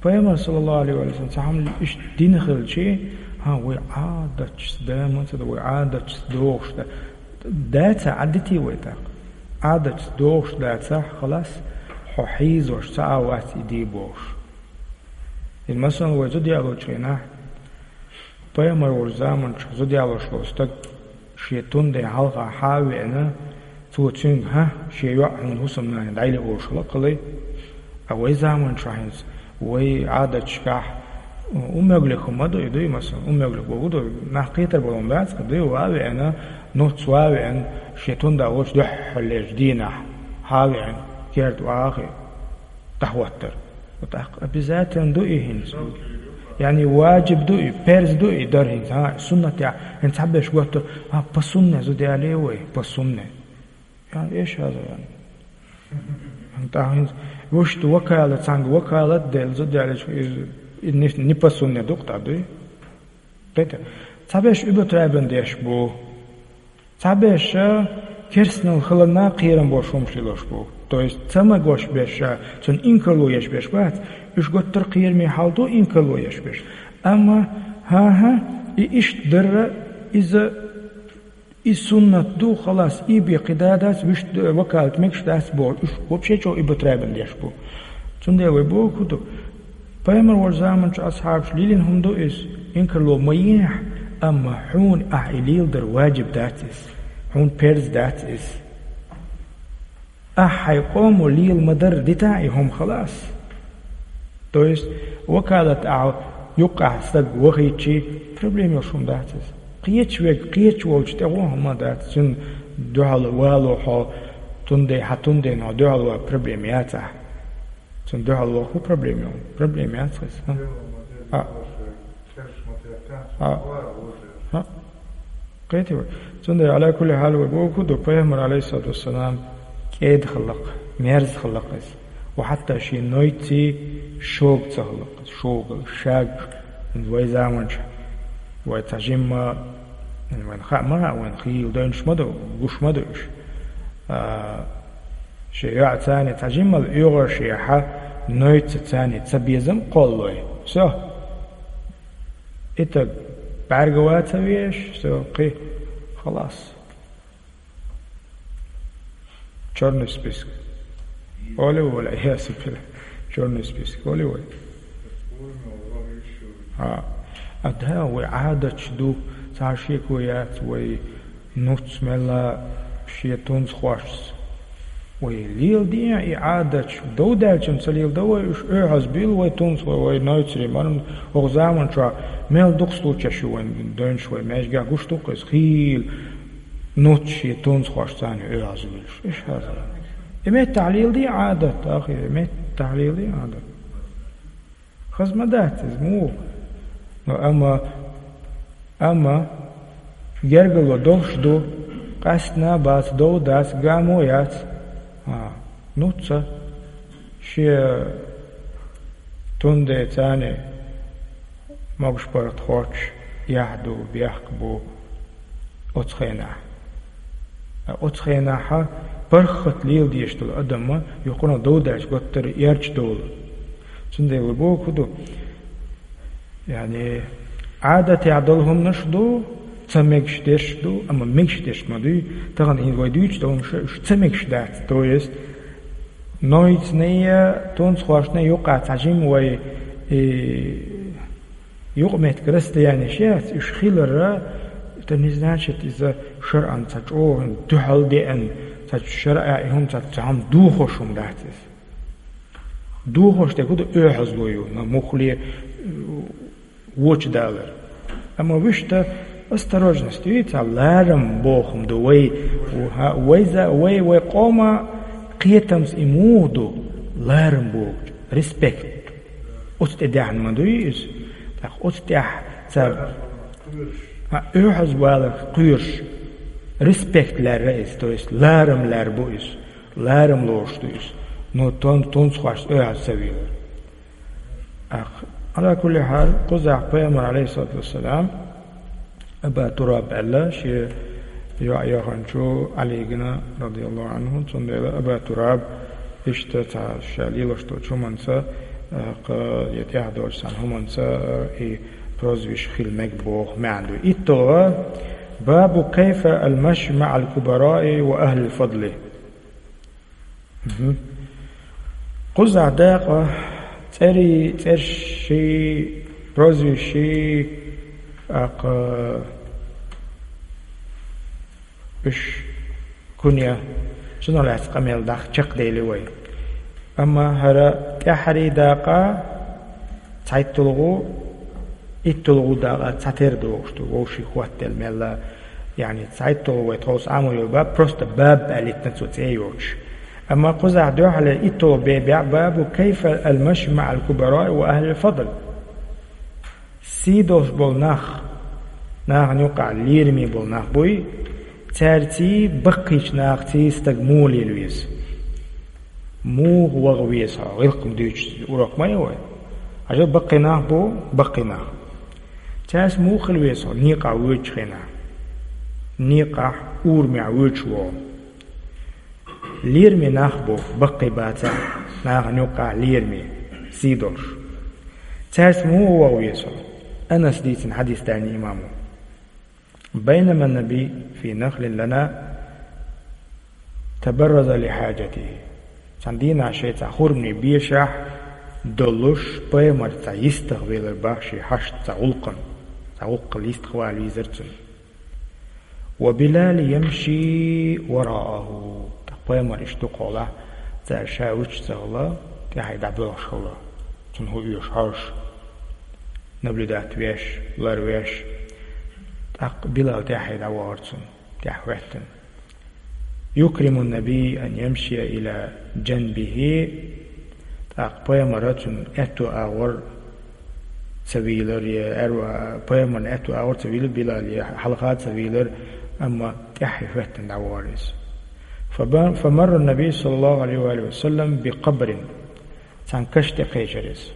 пайхамар, саллаллаху алейхи ва саллям, цхьа хӀума иштта дина хилчи, хӀа, вай Ӏадаташца да, ма ца да, вай Ӏадаташца дохуш да. Дацахь, Ӏадитий вай тӀаккха. Ӏадаташца дохуш дацахь, халас, хьо хьийзош цхьа а вац и де бохуш. Иза, масалан, вай зуда ялочу хенахь, пайхамар волчу заманчохь зуда ялош волу стаг шен тун ден хьалха хьа а веана, цо цуьнга: «ХӀа, шен йоӀ хьуна хӀусамнана дӀайилла олуш хилла кхалай». Ткъа вай заманчохь хӀинца, вай Ӏадаташкахь, у меглих хӀума ма ду и, дуй, масалан, у меглих боху ду, нах кхетар болу ма бац, дуй, ван а веана, нуц ван а веана, шен тун ден волчу дуьххьарлечу дийнахь хьа а веана, керта ван а хи дӀахӀоттар. ТӀаккха обязательно ду и хӀинца. Яъни ваджиб ду и, перз ду и дар хӀинца, хӀа, суннат я, хӀинца цхьаберш готту, хӀа, по сунне зуда яле вай, по сунне. Яъни, эш хаза, яъни. ТӀаккха хӀинца вуьшта вакалат, цхьаьнга вакалат делла зуда ялийча, иза, и не, не по сунне ду-кх тӀаккха, дуй? Кхетий? Цхьаберш уьбатайбан деш бу. Цхьаберш керстанал хиларна кхерам болуш хӀумаш лелош бу. То есть ца магош берш, цунна инкарло еш берш бац, уьш гуттар а кхераме хьал ду инкарло еш берш. Амма, хӀан-хӀа, и иштта дарра, иза, и суннат ду, халас, и бен кхин да дац, вуьшта вакалат мегаш дац бохуш, уьш вообще чӀогӀа уьбатайбан деш бу. Цундела вай бохург хӀун ду? Пайхамар волчу заманчу асхьабаша лелийна хӀума ду иза, инкарло ма ехьа, амма хьуна ахь и леладар ваджиб дац иза, хьуна перз дац иза. Ахь хьайн къомо лела ма-дарра дита и хӀума, халас. То есть, вакалат ахь юккъехь стаг вахийтчи, проблема йолуш хӀума дац иза. Кхечу верг, кхечу волчу тӀе гӀо хӀума дац, цуьнан дуьхьал вало хьо, тун де, хьан тун ден хьо дуьхьал ван проблема яц ахь. Цунна дуьхьал ваха хӀун проблема ю? Проблема яц хеза, а? А. А. А. Кхетий вай? Цундела, Ӏала кулли хьал, вай бохург ду, пайхамар, алейхиссалату вассалам, кӀеда хилла-кх, мерза хилла-кх иза. Ва хьатта шен нойций шога ца хилла-кх иза, шога, шаг, вай заманчохь, вай цхьа жимма, вайна хаа ма хаьа, вайна хийла девнаш ма ду, гуш ма ду уьш. А, Шен йоӀаца цхьаьна цхьа жиммал оьгӀазшехьа, нойцаца цхьаьна цхьа безам кхоллой. Всё. И таг бӀаьрга ван ца везаш, всё, кхин, халас. Чёрный список. Олий вай, ва-ль-Ӏияз билла. Чёрный список. Олий вай. А, а да, вай Ӏадаташ ду, цхьа шеко яц вай нуц мелла шен тунцхошца. Вай леладе и Ӏадаташ, дов даьлча ца леладо вай уьш, оьгӀаз буьйлу вай тунцхой, вай нойцарий, марна, хӀокху заманчохь мел дукха случаеш ю вайн девнаш вай маьждигехь, гуш ду-кх иза, хийла нуц шен тунцхошца цхьаьна оьгӀаз буьйлуш. Иштта хаза. И меттахь леладе Ӏадат, ахи, и меттахь леладе Ӏадат. Хаза ма дац иза, муха? Ну, амма, амма гергарло долуш ду, къаьстина а бац, дов дац, гамо а яц. А, нуц, шен тун де цхьаьна Могуш-паргӀат хоттуш, яхь ду, бехк бу оцу хенахь. Ткъа оцу хенахь паргӀат леладеш долу адам юххана довдаьлча гуттар а эрча долу. Цундела боху ду, яъни, Ӏадатехь долу хӀуманаш ду, ца мегаш дерш ду, амма мегаш дерш ма дуй. Тахана хӀинца вай дуьйцуш долу хӀуманаш, уьш ца мегаш дац. То есть, нойцанийн, тунцхошний юкъахь цхьа жима вай, и, юкъаметтиг расстоянеш яц, уьш хилар, это не значит, иза шарӀан цхьа чӀогӀа дуьхьал деана, цхьа шарӀехь и хӀума цхьа, цхьа хӀума дохош хӀума дац иза. Дохош дерг хӀун ду, оьгӀазло ю, ма муххале, вочу далар. Амма вуьшта осторожность, вуьйцу, ларам боху хӀума ду вай, вай, вай, вай къоман кхетамца и муха ду, ларам бохучу, респект. Оцу тӀе даьхьна ма дуй иза. ТӀаккха оцу тӀехь ца, хьан оьгӀаз балар кхоьруш, респект лаьрра иза, то есть ларам лаьрра бу иза, ларам лоруш ду иза. Ну, тун-, тунцхошца оьгӀаз ца велар. Ах, Ӏала кулли хьал, кхузахь пайхамар, алейхиссалату вассалам, Аба Тураб аьлла, шен йоӀ яханчу Ӏалигана, радияллаху анху, цундела Аба Тураб иштта цхьа ша лелаш долчу хӀуманца, а, кха, я тӀехь долчу цхьана хӀуманца, а, и прозвище хила мега боху маьӀна ду. ИтталгӀа, бабу кайфа ал-маши маӀал кубараи ва ахлил фадли. Мгм. Кхузахь дакъа цӀерий, цӀерший, прозвищий, аккха, уьш куьне, цунах лаьцна къамел даха чекхдели вай. Амма хӀара тӀаьххьарий дакъа цхьайтталгӀу, итталгӀу дакъа цхьатера догӀуш ду, вовшийн хӀоттаделла мелла, яъни цхьайтталгӀу вай тховса Ӏамо йолу баб, просто баб аьллитина цо цӀе йоцуш. Амма кхузахь дуьхьале итталгӀу бебехь бабу кайфа ал-маши маӀал кубараи ва ахлил фадл. Сий долуш болу нах, нахана юкъахь лераме болу нах буй, цаьрций баккхийчу нахаций стаг муха лела веза? Муха ваха веза хьо? ГӀиллакх-м дуьйцуш урок ма ю вай. Хьажал, баккхий нах бу, баккхий нах. Цаьрца муха хила веза хьо некъахь воьдучу хенахь? Некъахь, урамехь воьдуш ву хьо. Лераме нах бу, баккхий бацахь, нахана юккъахь лераме, сий долуш. Цаьрца муха ваха веза хьо? Анаса дийцина хьадис даьлла имамо. Байнама набий фи нахлин лана табарраза ли хьаджатихи. Цхьана дийнахь шайн цхьа хурманийн бешахь долуш, пайхамар цхьа йистах велар бах шен хьашт цхьа гӀуллакхана, цхьа гӀуллакхал йистах вала вийзар цунна. Ва Билал ямши варааху. ТӀаккха пайхамар иштта дукхахьолахь, цара ша вуьтуш ца хилла, тӀаьхье дӀабоьлхуш хилла. Цунна хӀун оьшу хьожуш, наблюдать веш, ларвеш. ТӀаккха Билал тӀаьхье дӀавахара цунна, тӀаьхьа хӀоьттина. Юкриму набий ан ямшия ила джанбихи. ТӀаккха пайхамара цунна аьтту агӀор ца вийлар, я аьрва-, пайхамарна аьтту агӀор ца вийлар Билал, я хьалха ца вийлар, амма тӀаьхье хӀоьттина дӀавахара иза. Фаба-, фамарра набий, саллаллаху алейхи ва алихи ва саллям, би къабрин. Цхьана каш тӀе кхечира иза.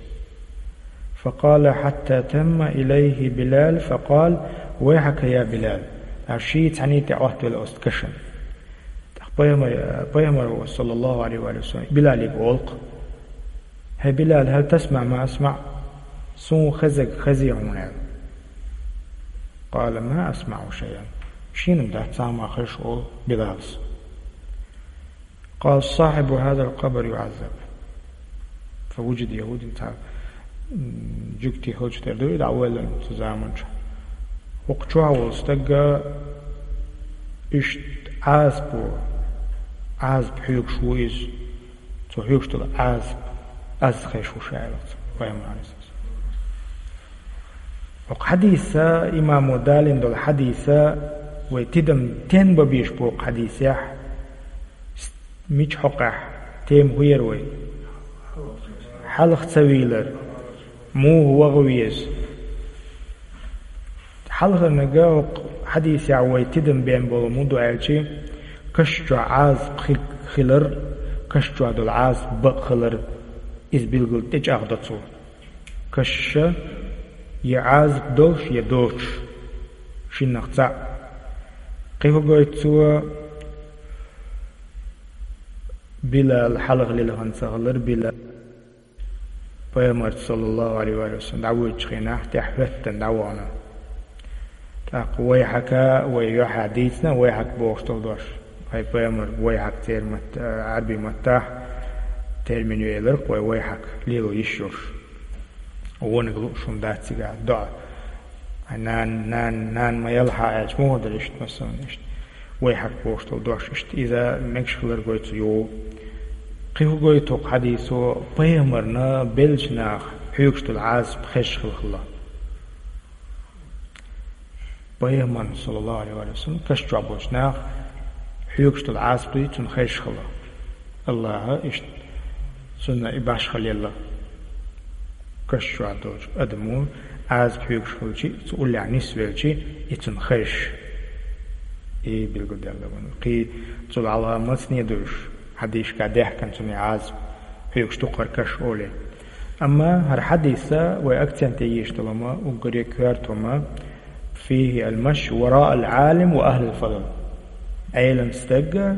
Факъала хьатта тамма илайхи Билал, факъал: «Вайхьака, я Билал!» Аш ший цхьаьний тӀе Ӏоттавелла оцу кашана. ТӀаккха пайхамар-, пайхамар, саллаллаху алейхи ва саллям, Билалига олу-кх: «ХӀей, Билал, хьал тасмаӀ ма асмаӀ, суна хезарг хезий хьуна?» — аьлла. Къала: «Ма асмаӀу шайъан». Шена-м дац цхьа а ма хезаш, олу Билалас. Къала: «Сахьибу хьазал къабр юӀаззаб». Фа вуджид яхӀудин цхьа, м, жуьгти хилча тера ду и дӀа а ваьлла цу заманчохь. ХӀокху чохь волу стаг иштта Ӏазапо, Ӏазап хьоьгуш ву иза. Цо хьоьгуш долу Ӏазап аз хезаш ву ша, аьлла цо, пайхамар Ӏалайхиссалам. ХӀокху хьадиса, имамо далийна долу хьадиса, вай тидам тен бан безаш бу хӀокху хьадисехь, мича хьокъехь, тема хӀун яра вай? Хьалха ца вийлар, муха ваха веза? Хьалхарниг хӀокху хьадисехь вай тидам бен болу муха ду аьлча, каш чохь Ӏазап хи-, хилар, каш чохь долу Ӏазап бакъ хилар, иза билггал тӀечӀагӀдо цо. Каш Я Ӏазап долуш, я доцуш, шиннах цхьаъ. Кхин хӀун гойту цо? Билал хьалха лилхина ца хилар, Билал. Пайхамарца, саллаллаху Ӏалайхи ва саллам, дӀавоьдучу хенахь тӀаьхьа хӀоьттина дӀавахана. ТӀаккха вайхьака, вай юьхьа дийцина, вайхьак бохуш долу дош. Вай пайхамар вайхьак церан матта, Ӏарбийн маттахь термин ю элира-кх вай, вайхьак лело йиш йолуш. Вониг лууш хӀума дац цигахь, доӀа. Ай, нана, нана, нана ма яла хьан аьлча, муха дара иштта, масалан, иштта. Вайхьак бохуш долу дош иштта, иза мегаш хилар гойту цо. Кхин хӀун гойту хӀокху хьадисо? Пайхамарна беллачу наха хьоьгуш долу Ӏазап хезаш хилла хилла. Пайхамарна, саллаллаху Ӏалайхи ва саллам, каш чохь болчу наха хьоьгуш долу Ӏазап дуй цунна хезаш хилла. Аллаха иштта цунна и башхалла елла. Каш чохь долчу адамо Ӏазап хьоьгуш хилчи, цу уллехь нисвелчи, и цунна хезаш. И билгалдаьлла вайн. Кхин цул хьалха мацане ду уьш, хьадисашкахь даьхкина цунна и Ӏазап хьоьгуш ду-кх хӀара каш олий. Амма хӀара хьадиса вай акценте езаш долу хӀума, уггаре коьрта хӀума: «فيه المشي وراء العالم وأهل الفضل». Ӏелам стага,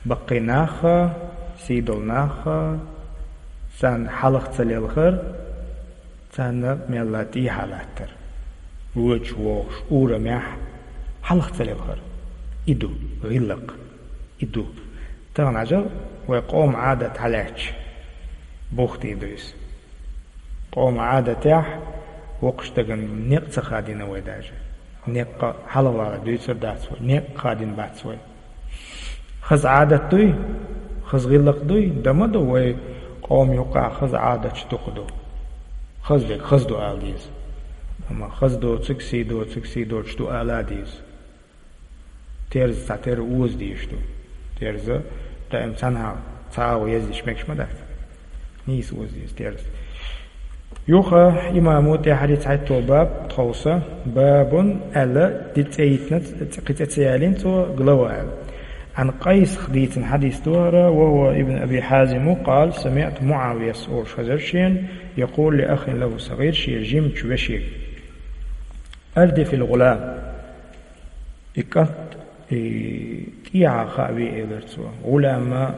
баккхий нахха, сий долу нахха, царна хьалха ца лелхар, царна мелла тӀехьа латтар. Вочу вогӀуш урамехь хьалха ца лелхар. И ду гӀиллакх. И ду. Тахана хьажал, вай къоман Ӏадат хьалаьтташ, бухтий ду иза. Къоман Ӏадатехь вокхуш дагана некъ ца хадийна вай даже. Некъа хьалавала дуьйцур дац вай, некъ хадийна бац вай. Хаза Ӏадат дуй, хаза гӀиллакх дуй, дан ма ду, вай къоман юкъахь хаза Ӏадаташ дукха ду. Хаза дерг хаза ду ала деза. Амма хаза доцург, сий доцург, сий доцуш ду ала а деза. Терза цхьатерра оза дезаш ду. Терза даим цхьанхьа цхьа агӀо ездеш мегаш ма дац. Нийса оза деза терза. Юха имамо тӀаьхьарий цхьайтта баб тховса, бабун аьлла, ди цӀе йитина, кхин цӀе ца ялийна цо, глава аьлла. Ӏан Къайсах дийцина хьадис ду хӀара, ва хӀува ибн Аби Хьазим, къала: «Самиъту Муавияс», олуш хезира шена, «якъулу ли ахин лахӀу сагӀир», шен жимачу вешега: «Ардифил гӀулам». И кӀант, и тӀехьа хаа ве, элира цо. ГӀулама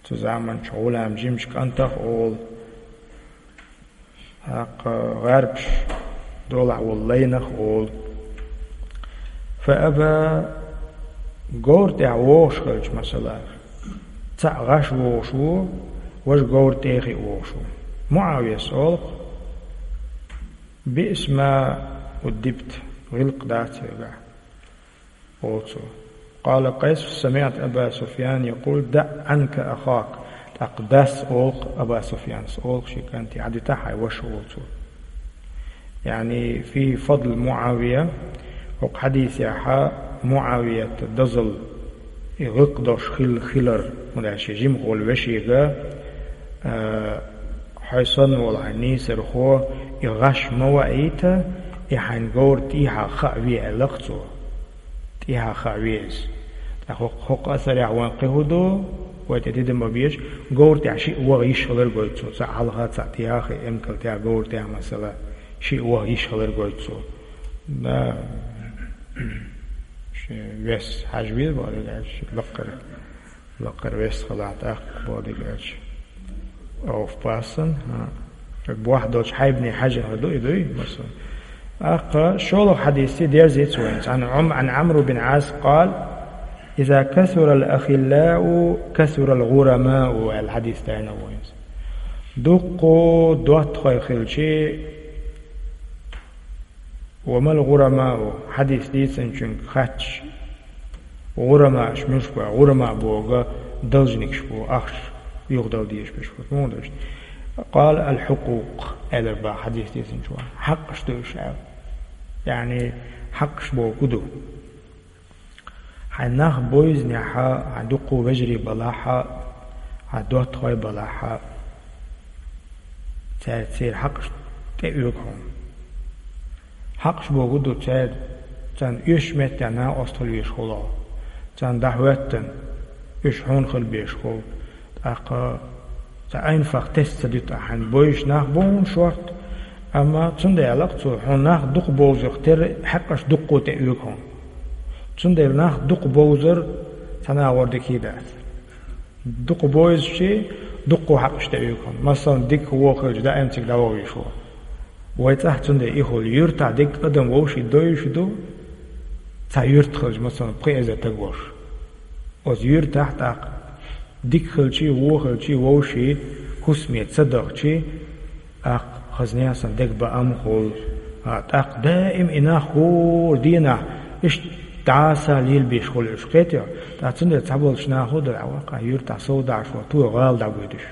цу заманчу гӀулам жимачу кӀантах олу, тӀаккха гӀарбаш долахь волу лайнах олу. Фа аба, говра тӀехь вогӀуш хилча, масала, цхьаъ гӀаш вогӀуш ву, важа говра тӀехь а вогӀуш ву. Муавияс олу-кх: «Биъса ма уддибта», гӀиллакх дац хьоьгахь, олу цо. Къала Къайс: «Самиъту Аба Суфьян якъул: даъ Ӏанка ахака». ТӀаккха дас олу-кх, Аба Суфьянас олу-кх шен кӀанте: «Ӏадита хьайн ваша», олу цо. Яъни, фи фадл Муавия, хӀокху хьадисехьа Муавият дозалла и гӀиллакх долуш хил-, хилар, хӀунда аьлча шен жимах волу вешега, а, хьо санна волу хьайн нийсархо, и гӀаш ма ваийта, и хьайн говра тӀехьа хаа ве, аьлла-кх цо. ТӀехьа хаа ве иза. ТӀаккха хӀокху, хӀокху асарехь вайн кхин хӀун ду, вай тӀе тидам ма безаш, говра тӀехь шиъ ваха йиш хилар гойту цо, цхьаъ хьалха, цхьаъ тӀехьа, эмкал тӀехь, говра тӀехь, масала, шиъ ваха йиш хилар гойту цо. Да, шен вес хьажа веза бохург аьлча, лакхара, лакхара вес хилахь тӀаккха бохург аьлча. Овпасан, хӀа. Бохь долчу хьайбане хьажа хир ду и, дуй, масала. ТӀаккха шолгӀа хьадисца дерзийца вайна. Ӏан Ӏум-, Ӏан Ӏамр бин Ӏас къала: «Иза касурал ахиллау, касурал гӀурамау», аьлла хьадис дайна вайна. Дуккха доттагӀий хилчи, «Ва мал гӀурамау», хьадис дийцинчуьнга хаьттича, гӀурамааш муьлш бу, гӀурама бохург должникаш бу, ахча юхадала дезаш берш бу, муха дерш. Къала: «Ал-хьукъукъ», аьлар бах хьадис дийцинчо, хьакъаш ду уьш аьлла. Яъни, хьакъаш бохург ду. Хьайн нах бевзинехь, хьайн дуккха вежарий балахь, хьайн доттагӀий балахь, цаьрца церан хьакъаш тӀеоьгу хьуна. Хьакъаш бохург ду церан, царна оьшучу меттехь накъост хила везаш хуьлу хьо. Царна дӀахӀоьттина, уьш хьуна хила безаш хуьлу. ТӀаккха цхьа айнфах тесна ца дуьту ахь, хьайн бевзаш нах бу хьуна шортта, Амма цундела цо хьуна нах дукха бовзарх терра хьакъаш дукха тӀеоьгу хьуна. Цундела нах дукха бовзар цхьа нагӀор дика дац. Дукха бовзачи дукха хьакъаш тӀеоьгу хьуна. Масала, дика вохилча даим цига дӀавохьийш ву. Вай цӀахь цундела ихула юьртахь дика адам вовший дойуш ду, цхьа юьрта хилча, масала, пхи эзар таг вош. Оцу юьртахь тӀаккха дика хилчи, вон хилчи, вовший хӀусаме ца дахчи, тӀаккха хазне сан дегабаам хуьлу. А, тӀаккха даим и нах хӀора дийнахь иштта дӀаса лелабеш хуьлу уьш, кхетий? ТӀаккха цундела цхьаболчу наха хӀун дара, ваккха, юьртахь сов дахьаш ву, тхо гӀала дӀагуьдуш.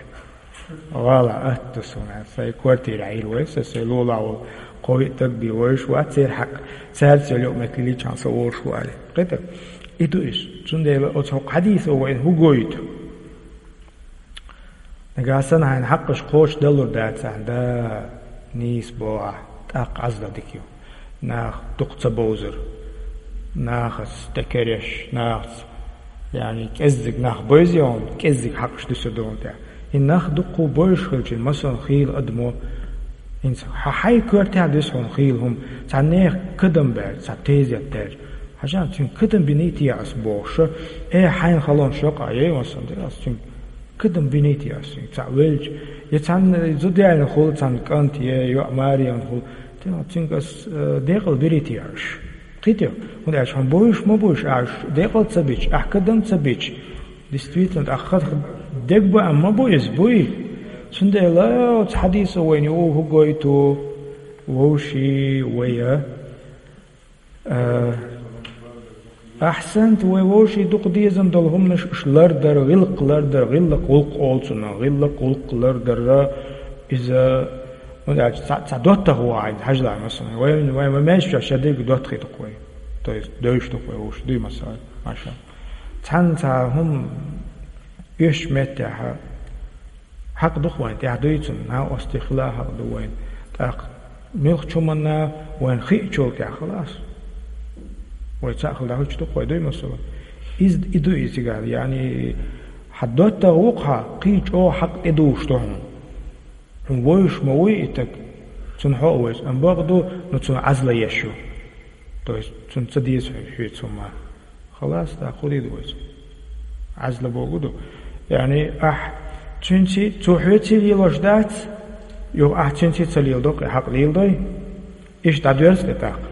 ГӀала атта суна, сайн квартира Ӏийр вай, сан сайн лулахь волу кхо-виъ таг бен вовзаш вац, церан хьакъ, цаьрца йолу юкъаметтиг личхьана со вовзаш ву аьлла. Кхетий? И ду иза. Цундела оцу хӀокху хьадисо вайна хӀун гойту? Нагахь санна хьайна хьакъаш кхочушдалур дац ахьа, да, нийса боху ахь, тӀаккха Ӏазап дика ю. Нах дукха ца бовзар, нахаца тӀекереш, нахаца, яъни, кӀеззиг нах бевза йолу, кӀеззиг хьакъаш дуьсур ду хьуна тӀехь. И нах дуккха бевзаш хилча, масала, хийла адамо, хӀинца хьан хьайн коьртехь дуьсу хьуна хийла хӀума, цхьа нехан кадам баьлча, цхьа тезет даьлча. Хьажа, цуьнга кадам биний те ас бохуш, э, хьайна халонаш йокъа, ей, масала, ас цуьнга кадам биний те ас, цхьаъ велча, я цхьанна зуда яьлла хуьлу цхьанна кӀант, я йоӀ маре хуьлу, те, цуьнга ас, э, декъал бирий те аш? Кхетий? ХӀунда аьлча хьуна бовзуш ма бу уьш, ахь уьш декъал ца бича, ахь кадам ца бича, действительно, ахь ха-, дегабаам ма бу иза, буй? Цундела оцу хьадисо вайна юха хӀун гойту? Вовший вай, а, ахьсанта вай вовший дукха дезам долу хӀуманаш уьш лардар, гӀиллакх лардар, гӀиллакх гӀуллакх олу цунах, гӀиллакх гӀуллакх лардар, иза, хӀунда аьлча цхьа, цхьа доттагӀа ву хьайна, хьажал, масала, вай, вай, вай маьждигаш чохь дерриг доттагӀий ду-кх вай, то есть девзаш ду-кх вай вовший, дуй, масала, маша. Цхьанна цхьа хӀума оьшучу меттехь, хьакъ ду-кх вайн тӀехь, дуй цунна, накъостий хила хьакъ ду вайн. ТӀаккха муьлххачу хӀуманна вайн хиъчул тӀехь, халас. Вай цхьаъ хила дӀахӀуьттуш ду-кх вай, дуй, масала. Иза, и ду иза цигахь, яъни, хьан доттагӀа ву-кх хьан, кхин чӀогӀа хьакъ тӀедужуш ду хьуна. Хьуна вовзуш ма вуй и таг, цунна хьо а вевза, амма бакъ ду, ну, цунна Ӏазап еш ю. То есть цунна ца деза хьоьца хӀума. Халас, тӀаккха хӀун дийр ду вайца? Ӏазап бохург ду. Яъни, ахь цуьнций, цо хьоьций лелош дац, юха ахь цуьнций ца леладо-кх, и хьакъ леладой? Иштта дӀадоьрзу-кх тӀаккха.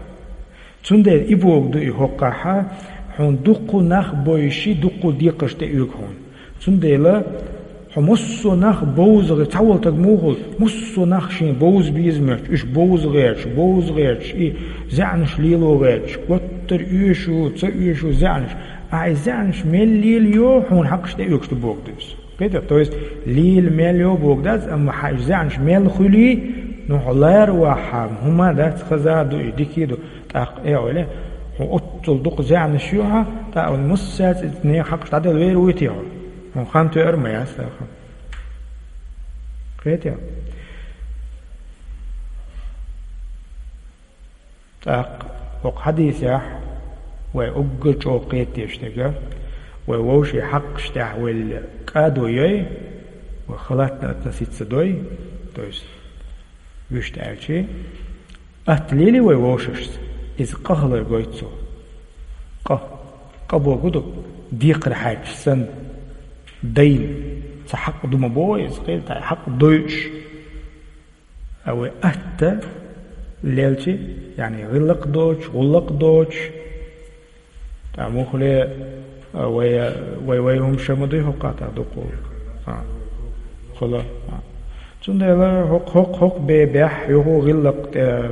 Цундела и бохург ду и хӀокхахь, хьуна дуккха нах бовзуш, дуккха декхарш тӀеоьгу хьуна. Цундела хьо массо а нах бовзагӀе, цхьа волу таг муха ву, массо а нах шен бовза беза моьттуш, уьш бовза гӀерташ, бовза гӀерташ, и заьӀнаш лело гӀерташ, гуттар а оьшу, ца оьшу заьӀнаш. Ахь и заьӀнаш мел лелайо, хьуна хьакъаш тӀеоьгуш ду бохург ду иза. Кхетий? То есть, лела мел йо бохург дац, амма хьан и заьӀнаш мел хуьлий, ну, хьо лара вахь, хӀума дац, хаза а ду, и дика а ду. ТӀаккха, э, ойла, хьо оццул дукха заьӀнаш ю хьан, тӀаккха массаьрца и нехан хьакъаш дӀаделла вер вуй те хьо? Хьуна хан тоьар ма яц тӀаккха. Кхетий? ТӀаккха хӀокху хьадисехь вай уггар чӀогӀа кхеташ дерг, вай вовшийн хьакъаш тӀехь вай кӀадо йой, вай халатно относиться дой, то есть, вуьшта аьлча, атта лелий вай вовшашца, иза къа хилар гойту цо. Къа. Къа бохург ду, декхар хьаьрчаш санна, дайна. Цхьа хьакъ ду ма боху иза, кхин цхьа хьакъ дойуш. А вай атта лелча, яъни гӀиллакх доцуш, гӀуллакх доцуш, тӀаккха муххале, а, вай, вай, вай хӀума ша ма дуй хӀокху кхатта дукха. А. Хала. А. Цундела хӀокху, хӀокху, хӀокху бебехь юха гӀиллакх тӀе-,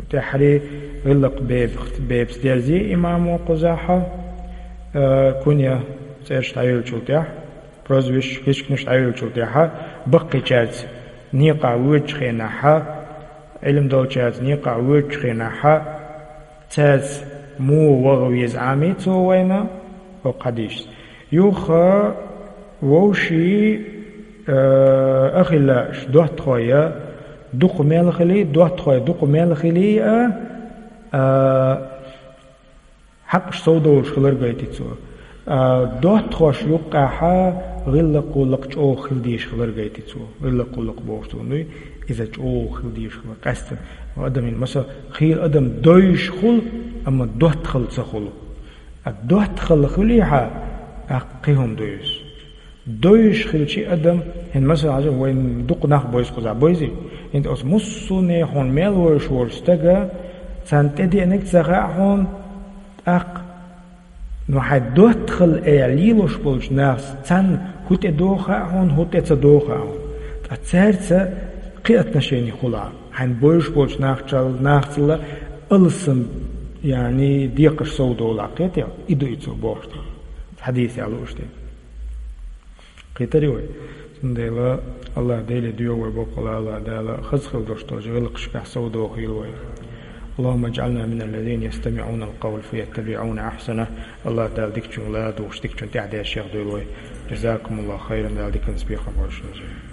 тӀаьххьара гӀиллакх беб-, бебас дерзий имамо кхузахь, а, кунья цӀераш дӀайолчул тӀаьхьа, прозвищ, хӀисканаш дӀайолчул тӀаьхьа, баккхийчаьрца некъахь воьдучу хенахь, Ӏилма долчаьрца некъахь воьдучу хенахь, цаьрца муха ваха веза Ӏамий цо вайна, хӀокху хьадисца. Юха вовший, э, ахилла доттагӀий дукха мел хилий, доттагӀий дукха мел хилий а, а, хьакъаш сов долуш хилар гайти цо. А, доттагӀаш юккъехь гӀиллакх-гӀуллакх чӀогӀа хила дезаш хилар гайти цо. ГӀиллакх-гӀуллакх бохуш цо дуй. Иза чӀоагӀа хила дезаш хила къаьстта. Адамийн, масала, хийла адам дойш хула, амма доттагӀал ца хула. А доттагӀал хилийхьа, тӀаккха кхы хӀума дойш. Дойш хилча адам, хӀинца, масала, хьажа, вайн дукха нах бойза кхуза, бойзий? ХӀинца оцу муссунехула мел войш волчу стага, царна тӀедеанарг ца хаьа хьуна, тӀаккха, ну, хьайн доттагӀал аьлла лелош болчу нахаца царна хӀун тӀедогӀу хаьа хьуна, хӀун тӀе ца догӀу хаьа хьуна. Ткъа цаьрца кхин отношени хуьлу хьан. Хьайн бойш болчу нахчал-, нахацалла алсам, яъни, декхарш совдолу хьан, кхетий? И ду и цо бохуш дерг. Хьадисехь лууш дерг. Кхетарий вай? Цундела АллахӀ Деле доьху вай боккъала, АллахӀ Дала хаза хила долуш долчу гӀиллакхашкахь совдохийла вай. اللهم اجعلنا من الذين يستمعون القول فيتبعون أحسنه. АллахӀ Дала дикачуьнга ладугӀуш, дикачунна тӀаьхьадешшех дойла вай. جزاكم الله خيرا, Дала диканца бекхам бойла шуна.